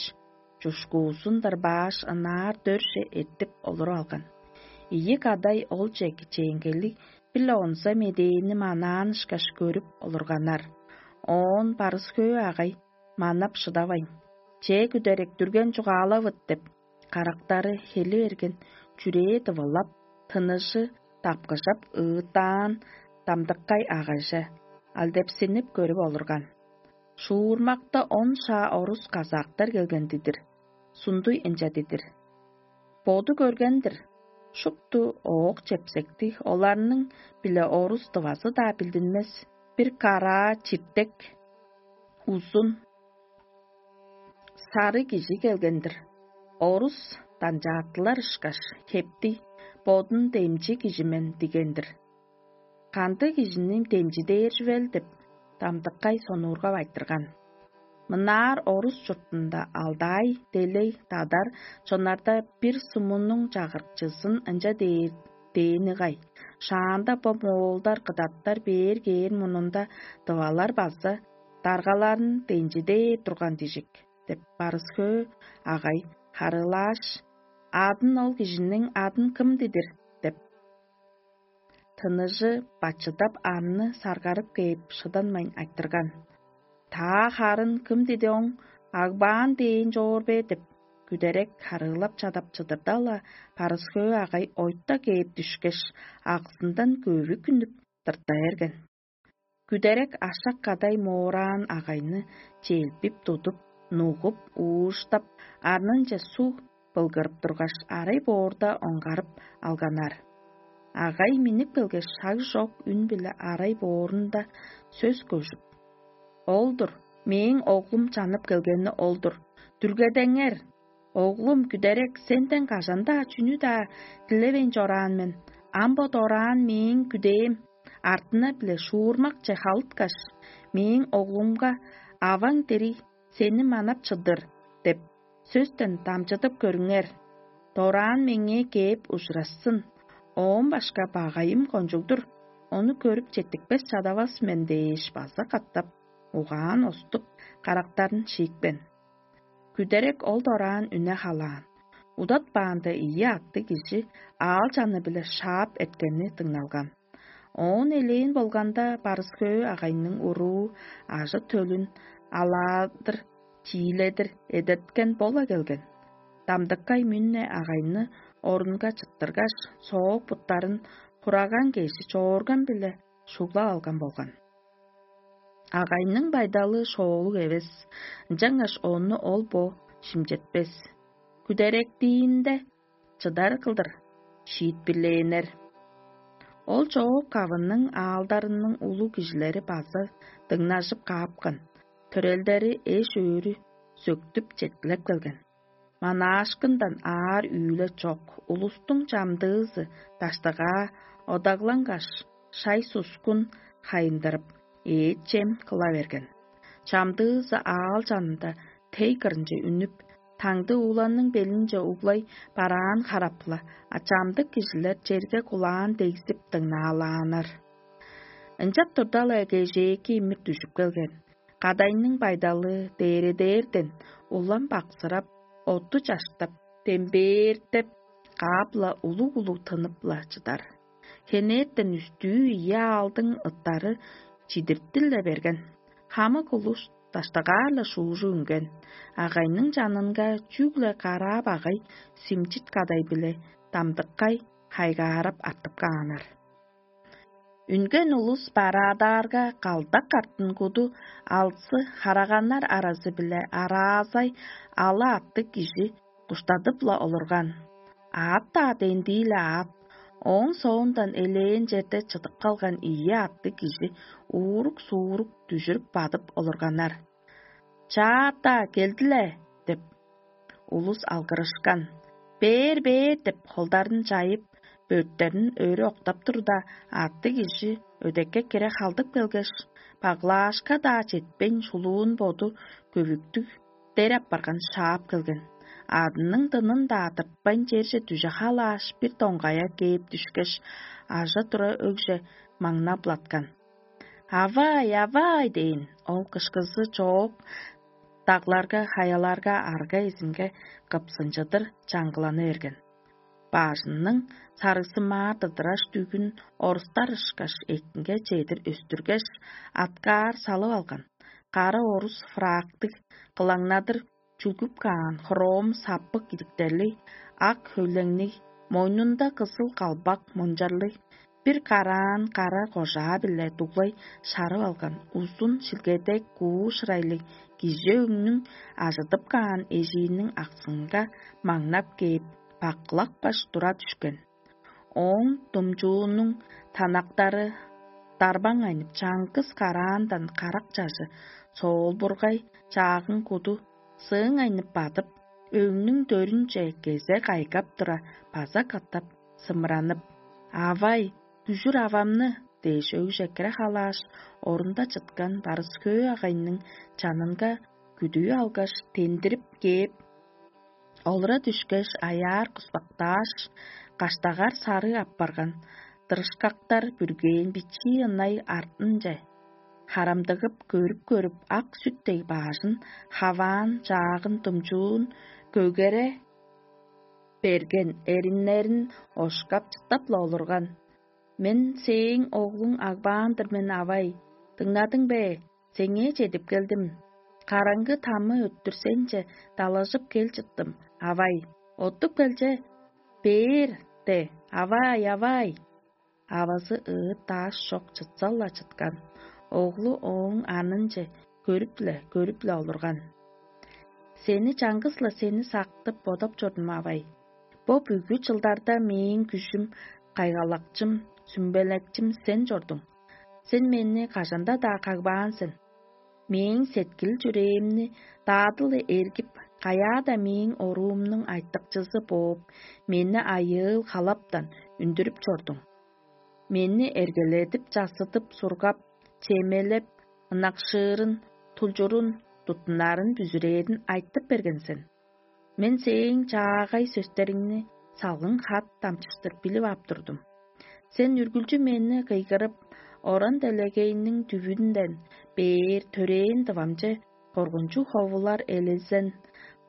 чушкуузун дырбааш, ынаар дөрже эртип олуруп алган. Ийи кадай олче кичээнгейлиг бир-ле онза медээни манаан ышкаш көрүп олурганнар. Оон Барыс-Хөө агай манап шыдавайн: «Че, күдерек, дүрген чугаалавыт» — деп, карактары хели берген, чүрээ дывылап, тыныжы дапкыжап ыыттаан дамдыккай агайже алдепсинип көрүп олурган. Шуурмакта он шаа орус казактар келген-дидир. Сундуй ынча дидир: «Боду көрген-дир, шупту оок-чепсектиг, оларның-биле орус тывазы-даа билдинмес, бир караа чиртек, узун, сарыг кижи келген-дир. Орус данчааттылар ышкаш, хептиг, бодун демчи кижи мен дигендир. Кандыг кижини демчидээр чүвел?» — деп, дамдыккай сонуургап айтырган. Мынаар орус чуртунда алдай, делей, тадар чоннарда бир сумунуң чагырыкчызын ынча дээр дээни кай: «Шаанда бо моолдар, кыдаттар бээр кээр мурнунда тывалар база даргаларын денчидээр турган дижик» — деп, Барыс-Хөө агай харыылааш: «Адын ол кижиниң адын кым дидир?» — деп, тыныжы бачыдап, арны саргарып кээп, шыданмайн айтырган. «Таа харын кым диди оң, Агбаан дээн чоор бе?» — деп, күдерек харыылап чадап чыдырда-ла, Барыс-Хөө агай ойта кээп дүшкеш, аксындан көвү күнүп тырта берген. Күдерек ашак кадай моораан агайны челпип тудуп, нугуп, ууштап, арнынче суг былгырып тургаш, арай боорда оңгарып алганнар. Агай миннип келгеш, шаг чок үн-биле арай боорунда сөс көжүп: «Ол-дур, мээң оглум чанып келгени ол-дур. Дүргедеңер! Оглум, күдерек, сенден кажан-даа чүнү-даа дилевейн чораан мен. Ам бо дораан мээң күдээм артына-биле шуурмакче халыткаш, мээң оглумга: „Аваң дириг, сени манап чыдыр“ – деп, сөстен дамчыдып көрүңер. Дораан меңээ кээп ужурашсын, оон башка багайым кончуг-дур, ону көрүп четтикпес чадавас мен“ – дээш база катап угаан оступ, карактарын шиипкен. Күдерек ол дораан үне халаан. удатпаанда ийи атты кижи аал-чаны-биле шаап эрткени дыңналган. Оон элээн болганда, барыс-хөө агайның уруу ажы-төлүн алаадыр, чииледир эдерткен бола келген. Дамдыккай мүнне агайны орунга чыттыргаш, соок буттарын хураган кежи чоорган-биле шуглап алган болган. Агайның байдалы шоолуг эвес, ынчангаш ону ол бо шимчетпес. Күдеректиинде чыдар кылдыр шиитпирлээннер. Ол чоок кавының аалдарының улуг кижилери база дыңнажып каапкан, төрелдери эш-өөрү сөктүп четкилеп келген. Манаашкындан аар үүле чок, улустуң чамдыызы даштыгаа одаглангаш, шай-сускун хайындырып, эът-чем кыла берген. Чамдыызы аал чанында тей кырынче үнүп, таңды ууланның белинче углай бараан харапла, а чамдык кижилер черге кулаан дегзип дыңнаалааннар. Ынчап турда-ла, кежээки имир дүжүп келген. Кадайның байдалы дээредээрден улам баксырап, отту чаштап, дембээртеп, каап-ла улуг-улуг тынып-ла чыдар. Хенертен үстүү ийи аалдың ыттары чидиртил-ле берген. Хамык улус даштыгаар-ла шуужу үнген. Агайның чанынга чүгле караа багай Симчит кадай-биле Дамдыккай хайгаарап артып кааннар. Үнген улус бараадаарга, калдак картын куду алзы хараганнар аразы-биле араазай ала аттыг кижи куштадып-ла олурган. Аът-даа дендии-ле аът, ооң соондан элээн черде чыдып калган ийи аттыг кижи уурук-суурук дүжүрүп бадып олурганнар. «Чаата, келди-ле!» – деп, улус алгырышкан. «Бээр, бээр!» – деп, холдарын чайып, бөрттерин өрү октап турда, аттыг кижи өдекке кире халдып келгеш, баглаашка-даа четпейн, шулуун боду көвүктүг дер апарган шаап келген. Адының дынын-даа тыртпайн, черже дүже халааш, бир доңгая кээп дүшкеш, ажа-тура өгже маңнап-латкан. «Авай, авай!» – дээн. Ол кышкызы чоок дагларга, хаяларга, арга эзинге кыпсынчыдыр чаңгыланы берген. Бажының сарыгзымаар дыдыраш дүгүн орустар ышкаш экинге чедир өстүргеш, аткаар салып алган. Кара орус фрактыг, кылаңнадыр чүлгүп каан хром саппык идиктерлиг, ак хөйлеңниг, мойнунда кызыл калбак мунчарлыг, бир караан кара кожаа-биле дуглай шарып алган узун шилгедек куу шырайлыг кижи өңнүң ажыдып каан эжииниң аксынга маңнап кээп, баккылапкаш тура дүшкен. Ооң думчуунуң танактары дарбаңайнып, чаңгыс караандан карак чажы соолбургай чаагын куду сыыңайнып бадып, өңнүң дөрүнче кезе кайгап тура, база катап сымыранып: «Авай, дүжүр авамны!» – дээш, өгже кире халааш, орунда чыткан барыс-хөө агайның чанынга күдүү алгаш, тендирип кээп, олура дүшкеш, аяар куспактааш, каштагар сарыг апарган дырышкактар бүргээн бичии ынай артынче харамдыгып көрүп-көрүп, ак сүт дег баажын, хаваан чаагын, думчуун көгере берген эриннерин ошкап, чыттап-ла олурган. «Мен сээң оглуң Агбаан-дыр мен, авай. Дыңнадың бе? Сеңээ чедип келдим. Караңгы тамы өттүр сенче далажып кел чыттым, авай. Оттуп келче, бээр де, авай, авай!» Авазы ыыт-даш чок чытсал-ла чыткан, оглу ооң анынче көрүп-ле, көрүп-ле олурган. «Сени чаңгыс-ла сени сактып бодап чордум, авай. Бо бүгү чылдарда мээң күжүм, кайгалакчым, сүмбелекчим сен чордуң. Сен мени кажан-даа кагбаан сен. Мээң сеткил-чүрээмни даадылы эргип, каяа-даа мээң оруумнуң айтыкчызы бооп, мени айыыл-халаптан үндүрүп чордуң. Мени эргеледип, чассыдып, сургап, чемелеп, ынакшыырын, тулчурун, туттунарын, бүзүрээрин айтып берген сен. Мен сээң чаагай сөстериңни салгын хат дамчыштыр билип ап турдум. Сен үргүлчү мени кыйгырып, оран делегейниң дүвүнден бээр төрээн дывамче коргунчуг ховулар, элезен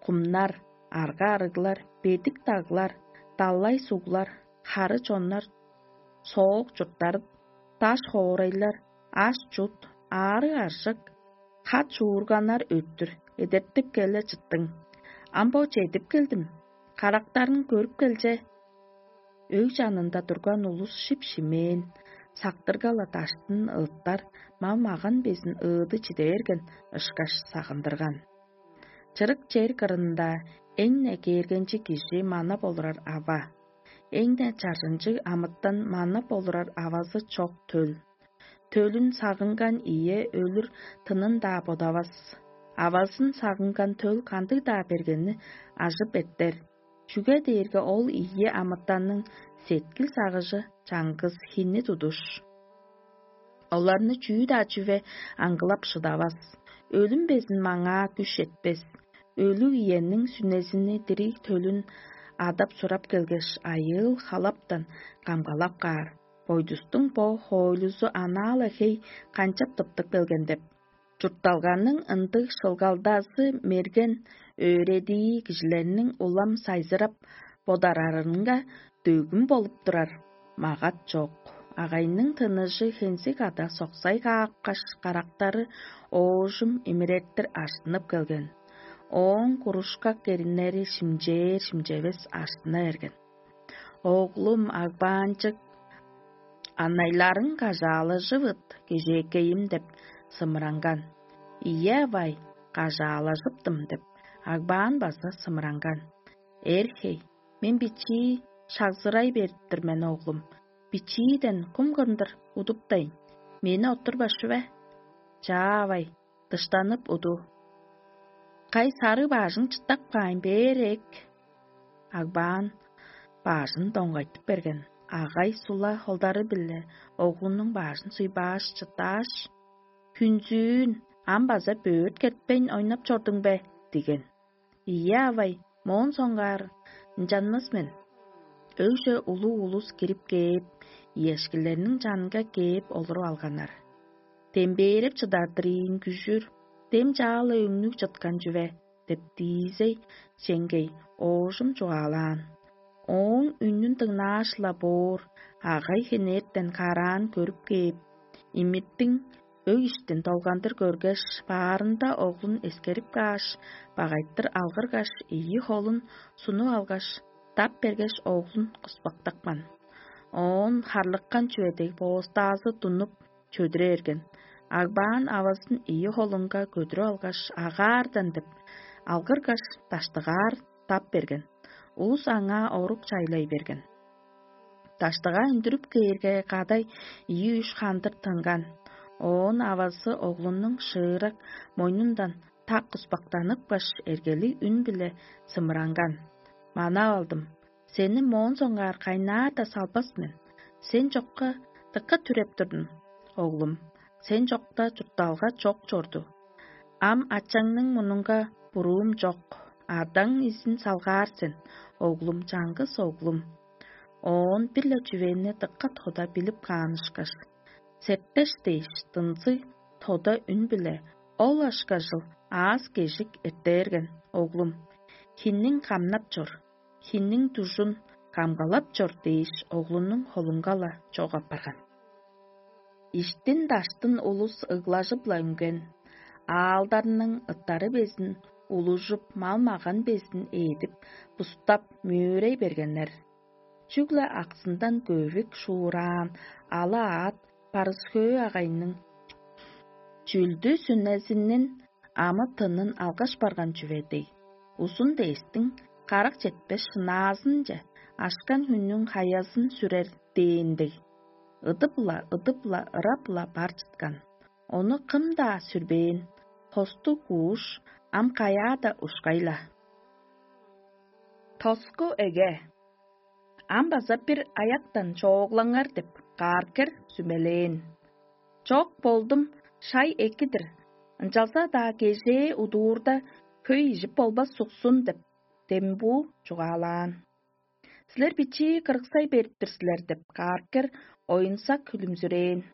кумнар, Арга-арыглар, бедик даглар, далай суглар, хары чоннар, соок чурттарып, даш хоорайлар, аш-чут, аарыг-аржык, хат-чуурганнар өттүр эдертип келе чыттың. Ам бо чедип келдим, карактарын көрүп келче. Өг чанында турган улус шип-шимээн, сактырга-ла даштын ыыттар, мал-маган безин ыыды чиде берген ышкаш сагындырган. Чырык чер кырында эң-не кээргенчиг кижи мана болурар ава, эң-не чаржынчыг амытан мана болурар авазы чок төл. Төлүн сагынган ийе өлүр тынын-даа бодавас. Авазын сагынган төл кандыг-даа бергени ажып эртер, чүге дээрге ол ийи амытанның сеткил-сагыжы чаңгыс хинни тудуш. Оларны чүү-даа чүве аңгылап шыдавас, өлүм безин маңаа күш четпес. Өлүг иенниң сүнезини дириг төлүн адап-сурап келгеш, айыыл-халаптан камгалап каар. Бойдустуң бо хоойлузу анаа-ла хей канчап тыптып келген деп. Чуртталганың ындыг шылгалдазы мерген, өөредии кижилерниң улам сайзырап бодарарынга дөөгүм болуп турар. Магат чок. Агайның тыныжы хензиг ада соксай каапкаш, карактары оожум имиреттир ажыттынып келген. Ооң курушкак эриннери шимчээр-шимчевес ажыттына берген. «Оглум, агбаанчык, анайларың кажаалажывыт, кежээкейим» — деп сымыранган. «Ийе, авай, кажаалажыптым» — деп, агбаан база сымыранган. «Эр-хей, мен бичии шагзырай берип-тир мен, оглум. Бичииден кум кырдыр удуптайн, мени оттурбас чүве? Чаа, авай, дыштанып уду. Кай сарыг бажың чыттап каайн, бээр эк». Агбаан бажын доңгайтып берген. Агай сула холдары-биле оглунуң бажын суйбааш, чыттааш: «Хүнзүүн, ам база бөрт кетпейн ойнап чордуң бе?» — диген. «Ийе, авай, моон соңгаар ынчанмас мен». Өгже улуг улус кирип кээп, иешкилерниң чанынга кээп олуруп алганнар. «Дембээреп чыдардыр ийин күжүр, дем чаала өңнүг чыткан чүве» — деп диизей чеңгей оожум чугаалаан. Ооң үнүн дыңнааш-ла боор, агай хенертен караан көрүп кээп, имиттиң өг иштин долгандыр көргеш, баарында оглун эскерип кааш, багайтыр алгыргаш, ийи холун сунуп алгаш, дап бергеш, оглун куспактапкан. Оон харлыккан чүве дег боостаазы тунуп, чөдүре берген. Агбаан авазын ийи холунга көдүрүп алгаш, агаардан деп, алгыргаш, даштыгаар дап берген. Улус аңаа орук чайлай берген. Даштыгаа үндүрүп кээрге, кадай ийи-үш хандыр тынган. Оон авазы оглунуң шыырак мойнундан так куспактаныпкаш, эргелиг үн-биле сымыранган: «Манап алдым. Сени моон соңгаар кайнаар-даа салбас мен. Сен чокка дыка түреп турдум, оглум. Сен чокта чуртталга чок чорду. Ам ачаңның мурнунга буруум чок. Адаң изин салгаар сен, оглум, чаңгыс оглум». Оон бир-ле чүвени дыка тода билип каан ышкаш, септеш дээш, дынзыг тода үн-биле: «Ол ышкажыл аас-кежик эртээрген, оглум. Хинниң камнап чор, хинниң дужун камгалап чор» — дээш, оглунуң холунга-ла чок апарган. Иштин-даштын улус ыглажып-ла үнген, аалдарның ыттары безин улужуп, мал-маган безин ээдип, бустап, мөөрей бергеннер. Чүгле аксындан көвүк шуураан ала аът Парысхөө агайның чүлдү сүнезинин амы-тынын алгаш барган чүве дег, узун дээстиң карак четпес шынаазынче ашкан хүннүң хаязын сүрер дээн дег, ыдып-ла, ыдып-ла, ырап-ла бар чыткан. Ону кым-даа сүрбээн, хостуг кууш ам каяа-даа ушкай-ла. Тоску эге. Ам база бир аяктан чооглаңар деп, кааркер сүмелээн. Чок болдум, шай экидир. Ынчалза-даа кежээ удуурда хөй ижип болбас суксун деп, дембуу чугаалаан. Силер бичии кырыксай берип-тир силер деп, кааркер оюнсак хүлүмзүрээн.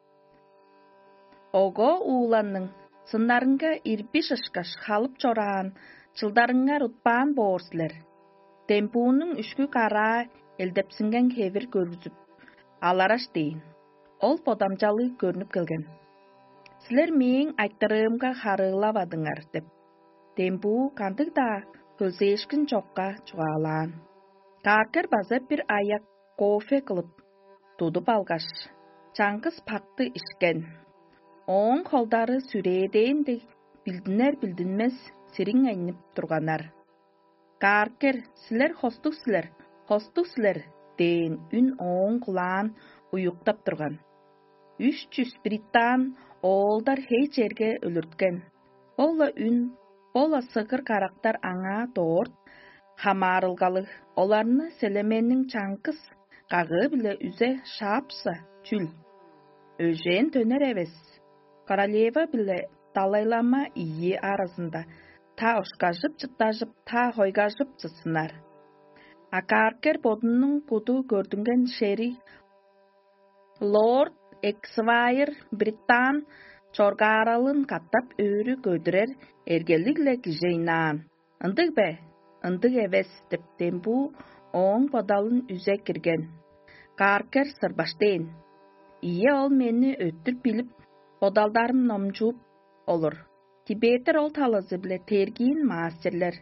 Ого ууланның сыннарынга ирби шышкаш халып чораан чылдарыңар утпаан боор силер. Дембуунуң үшкү караа элдепсинген хевир көргүзүп, алараш дээн. Ол бодамчалыг көрнүп келген. «Силер мээң айтырыымга харыылавадыңар» — деп, дембуу кандыг-даа хөлзээшкин чокка чугаалаан. Кааркер база бир аяк кофе кылып, тудуп алгаш, чаңгыс пакты ишкен. Ооң холдары сүрээдээн дег билдинер-билдинмес сириңейнип турганнар. «Кааркер, силер хостуг силер, хостуг силер» — дээн үн ооң кулаан уюктап турган. Үш чүс британ оолдар хей черге өлүрткен. Бо-ла үн, бо-ла сыгыр карактар аңаа дорт хамаарылгалыг, оларны селеменниң чаңгыс кагыы-биле үзе шаапса чүл? Өжээн төнер эвес. Королева биле далайлама ийи аразында та ошкажып-чыттажып, та хойгажып чытсыннар. А Каркер бодунуң куду көрдүнген шери лорд Эксвайр Британ чоргааралын катап өрү көдүрер эргелиг-ле кижи ыйнаан. «Ындыг бе? Ындыг эвес» — деп, дембуу ооң бодалын үзе кирген. Каркер сырбаштээн: «Ийе, ол мени өттүр билип, бодалдарым номчууп олур. Тибеттер ол талазы-биле тергиин маастерлер.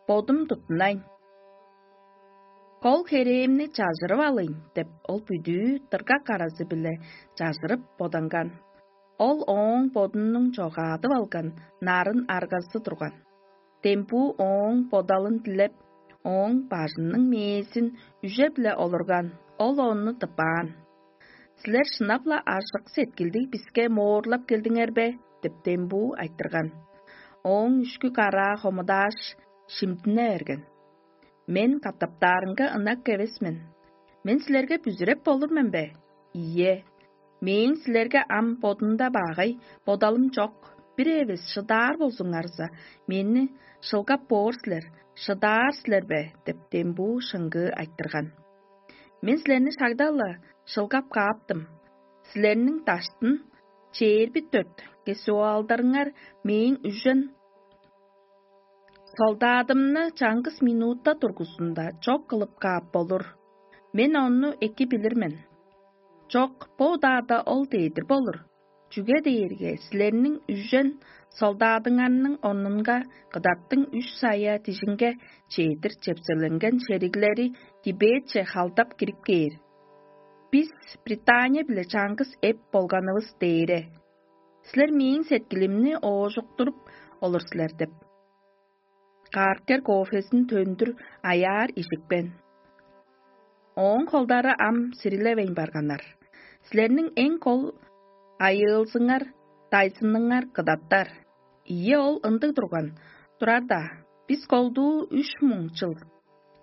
Бодум туттунайн. Кол херээмни чажырып алыйн» — деп, ол бүдүү дыргак аразы-биле чажырып боданган. Ол ооң бодунуң чогаадып алган нарын аргазы турган. Дембуу ооң бодалын дилеп, ооң бажының мээзин үже-биле олурган, ол ону тыппаан. «Силер шынап-ла ажык сеткилдиг биске моорлап келдиңер бе?» — деп, дембуу айтырган. Ооң үшкү караа хомудааш, шимдине берген. «Мен катаптаарынга ынак эвес мен. Мен силерге бүзүреп болур мен бе? Ийе, мээң силерге ам бодумда багай бодалым чок. Бир эвес шыдаар болзуңарза, мени шылгап боор силер, шыдаар силер бе?» — деп, дембуу шыңгыы айтырган. «Мен силерни шагда-ла шылгап кааптым. Силерниң даштын чээрби дөрт кесуалдарыңар мээң үжен солдадымны чаңгыс минутта тургузунда чок кылып каап болур. Мен ону эки билир мен. Чок, бо удаада ол дээдир болур. Чүге дээрге силерниң үжен солдадыңарның орнунга кыдаттың үш сая дижинге чедир чепселенген шериглери Тибетче халдап кирип кээр. Бис Британия-биле чаңгыс эп болганывыс дээре. Силер мээң сеткилимни оожуктуруп олур силер» — деп, Каркер кофезин төндүр аяар ижикпен. Ооң холдары ам сирилевейн барганнар. «Силерниң эң кол айыылзыңар, дайзыныңар кыдаттар. Ийе, ол ындыг турган. Турар-даа, бис колдуу үш муң чыл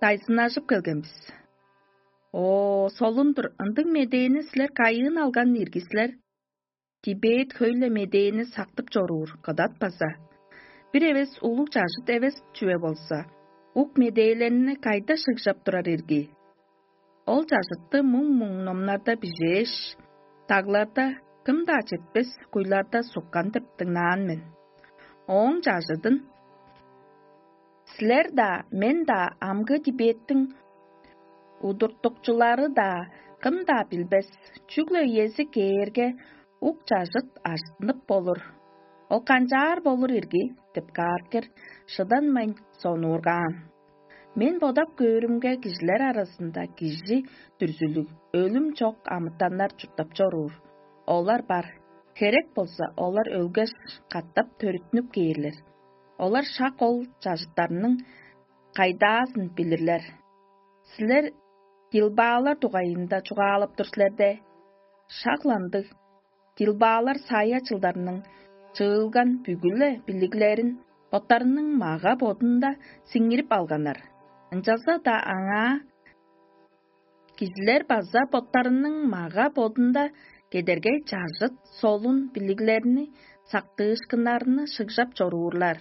дайзыннажып келген бис». «О, солун-дур, ындыг медээни силер кайыын алган ирги силер? Тибет хөй-ле медээни сактып чоруур, кыдат база. Бир эвес улуг чажыт эвес чүве болза, ук медээлерни кайда шыгжап турар ирги? Ол чажытты муң-муң номнарда бижээш, дагларда кым-даа четпес куйларда суккан деп дыңнаан мен. Ооң чажыдын силер-даа, мен-даа, амгы Тибеттиң удуртукчулары-даа кым-даа билбес, чүгле үези кээрге, ук чажыт ажыттынып болур. Ол канчаар болур ирги?» — деп, Каркер шыданмайн сонуургаан. «Мен бодап көөрүмге, кижилер аразында кижи дүрзүлүг, өлүм чок амытаннар чурттап чоруур. Олар бар. Херек болза, олар өлгеш, катап төрүттүнүп кээрлер. Олар шак ол чажыттарның кайдаазын билирлер. Силер дилбаалар дугайында чугаалап тур силер де. Шак-ла ындыг. Дилбаалар сая чылдарның чыылган бүгү-ле билиглерин боттарының мага-бодунда сиңирип алганнар. Ынчалза-даа аңаа кижилер база боттарының мага-бодунда кедергей чажыт солун билиглерни, сактыышкыннарны шыгжап чоруурлар.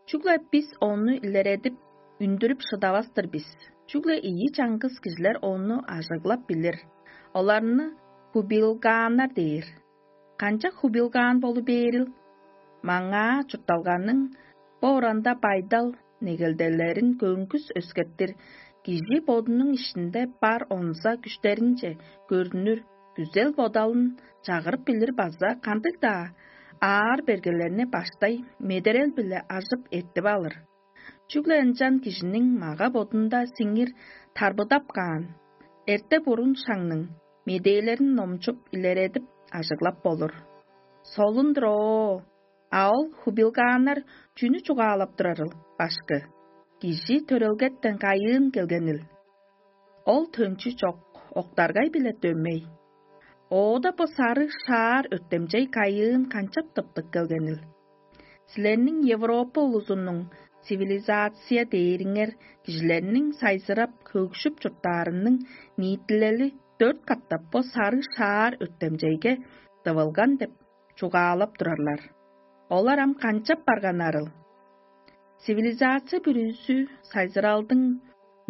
Чүгле бис ону илередип, үндүрүп шыдавас-тыр бис. Чүгле ийи чаңгыс кижилер ону ажыглап билир. Оларны хубилгааннар дээр. Канчап хубилгаан болу бээрил? Маңаа чуртталганың бо оранда байдал негелделерин көңгүс өскеттир, кижи бодунуң иштинде бар онза күштеринче көрүнүр күзел бодалын чагырып билир база кандыг-даа аар бергелерни баштай медерел-биле ажып эртип алыр. Чүгле ынчан кижиниң мага-бодунда сиңир тарбыдап каан, эрте-бурун шаңның медээлерин номчуп илередип ажыглап болур. Солун-дур оо, а ол хубилгааннар чүнү чугаалап турарыл, башкы? Кижи төрелгеттен кайыын келгенил? Ол төнчү чок, октаргай-биле дөмей. Оода бо сарыг шаар өттемчей кайыын канчап тыптык келгенил? Силерниң Европа улузунуң цивилизация дээриңер кижилерниң сайзырап, хөгжүп чурттаарының ниитилели дөрт катап бо сарыг шаар өттемчейге дывылган деп чугаалап турарлар. Олар ам канчап барганнарыл? Цивилизация бүрүзү сайзыралдың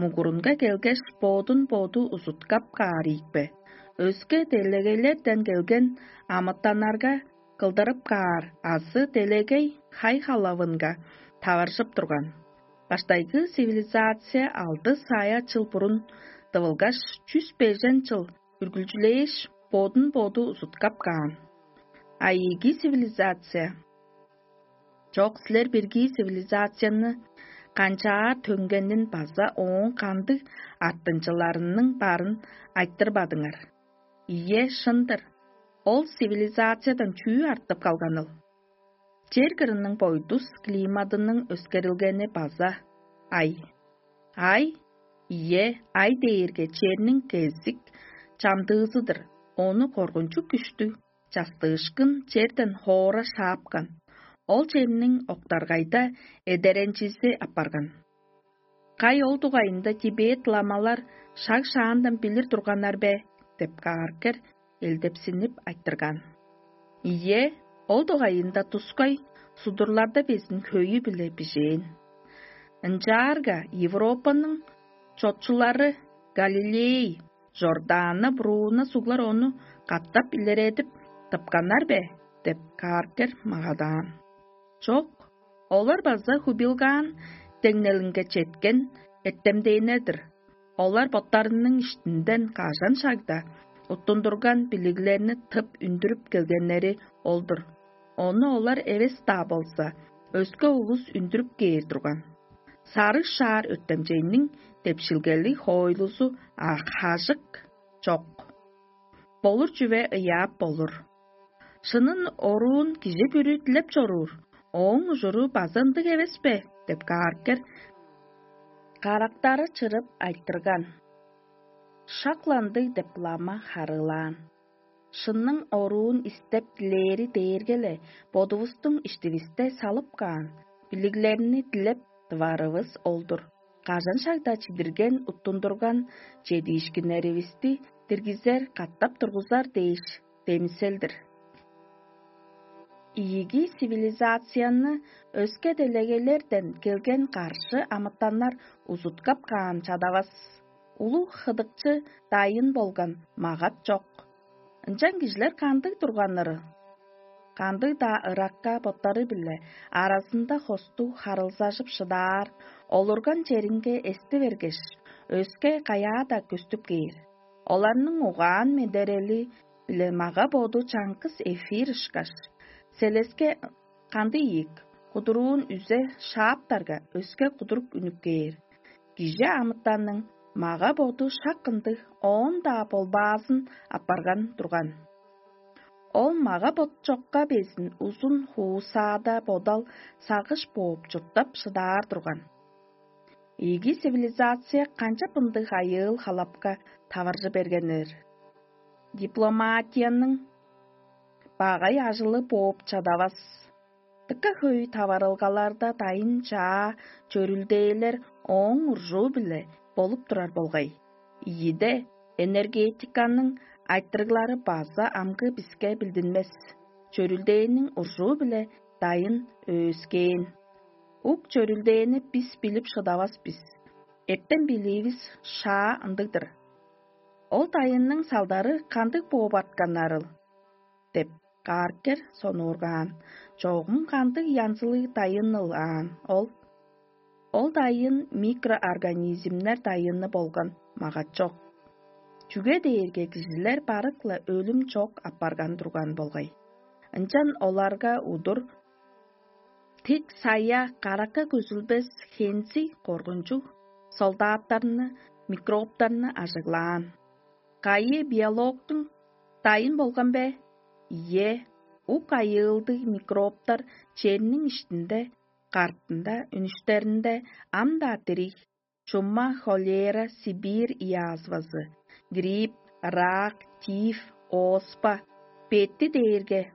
мугурунга келгеш, бодун-боду узуткап каар ийикпе? Өске делегейлерден келген амытаннарга кылдырып каар азы делегей хай-халавынга таваржып турган. Баштайгы цивилизация алды сая чыл бурун дывылгаш, чүс бежен чыл үргүлчүлээш, бодун-боду узуткап каан. А ийиги цивилизация? Чок, силер бирги цивилизацияны канчаар төнгенин база ооң кандыг артынчыларының барын айтырбадыңар. Ийе, шын-дыр. Ол цивилизациядан чүү артып калганыл? Чер кырының бойдус климадының өскерилгени база ай. Ай, ийе, ай дээрге черниң кезик чамдыызы-дыр. Ону коргунчуг күштүг частыышкын черден хоора шаапкан. Ол черниң октаргайда эдеренчизи апарган. Кай ол дугайында Тибет ламалар шаг-шаандан билир турганнар бе? — деп кааргер элдепсинип айтырган. Ийе, ол дугайында тускай судурларда безин хөйү-биле бижээн. Ынчаарга Европаның чотчулары Галилей, Жордана, Бруно суглар ону катап илередип тыпканнар бе? — деп кааргер магадаан. Чок, олар база хубилгаан деңнелинге четкен эртемденнер-дир. Олар боттарының иштинден кажан шагда уттундурган билиглерни тып үндүрүп келгеннери ол-дур. Ону олар эвес-даа болза, өске улус үндүрүп кээр турган. Сарыг шаар өттемчейниң депшилгелиг хоойлузу хажык чок. Болур чүве ыяап болур. Шынын оруун кижи бүрү дилеп чоруур, ооң ужуру база ындыг эвес бе? — деп кааргер карактары чырып айтырган. Шак-ла ындыг деп лама харыылаан. Шынның оруун истеп дилээри дээрге-ле бодувустуң иштивисте салып каан билиглерни дилеп тыварывыс ол-дур. Кажан шагда чидирген уттундурган чедиишкиннеривисти диргизер, катап тургузар дээш демисел-дир. Ийиги цивилизацияны өске делегейлерден келген каршы амытаннар узуткап каан чадавас. Улуг хыдыкчы дайын болган магат чок. Ынчан кижилер кандыг турганнары? Кандыг-даа ыракка боттары-биле аразында хостуг харылзажып шыдаар, олурган черинге эсти бергеш, өске каяа-даа көстүп кээр. Оларның угаан-медерели-биле мага-боду чаңгыс эфир ышкаш, селеске кандыг ийик, кудуруун үзе шааптарга, өске кудурук үнүп кээр. Кижи амытанның мага-боду шак ындыг оон-даа болбаазын апарган турган. Ол мага-бот чокка безин узун хуусаада бодал сагыш бооп чурттап шыдаар турган. Ийиги цивилизация канчап ындыг айыыл-халапка таваржы бергеннер? Дипломатияның багай ажылы бооп чадавас. Дыка хөй таварылгаларда дайын чаа чөрүлдээлер ооң уржуу-биле болуп турар болгай. Ийиде энергетиканың айтырыглары база амгы биске билдинмес. Чөрүлдээниң уржуу-биле дайын өөскээн. Ук чөрүлдээни бис билип шыдавас бис. Эртен билиивис шаа ындыг-дыр. Ол дайынның салдары кандыг бооп артканнарыл? — деп кааргер сонуургаан. Чогум кандыг янзылыг дайыныл аан ол? Ол дайын микроорганизмнер дайыны болган магачок. Чүге дээрге кижилер барык-ла өлүм чок апарган турган болгай. Ынчан оларга удур тик сая каракка көзүлбес хензи коргунчуг солдаттарны, микробтарны ажыглаан. Кайы биологтуң дайын болган бе? Ийе, ук айыылдыг микробтар черниң иштинде, картында, үнүштеринде ам-даа дириг. Чума, холера, Сибирь иязвазы, грипп, рак, тиф, оспа, бетти дээрге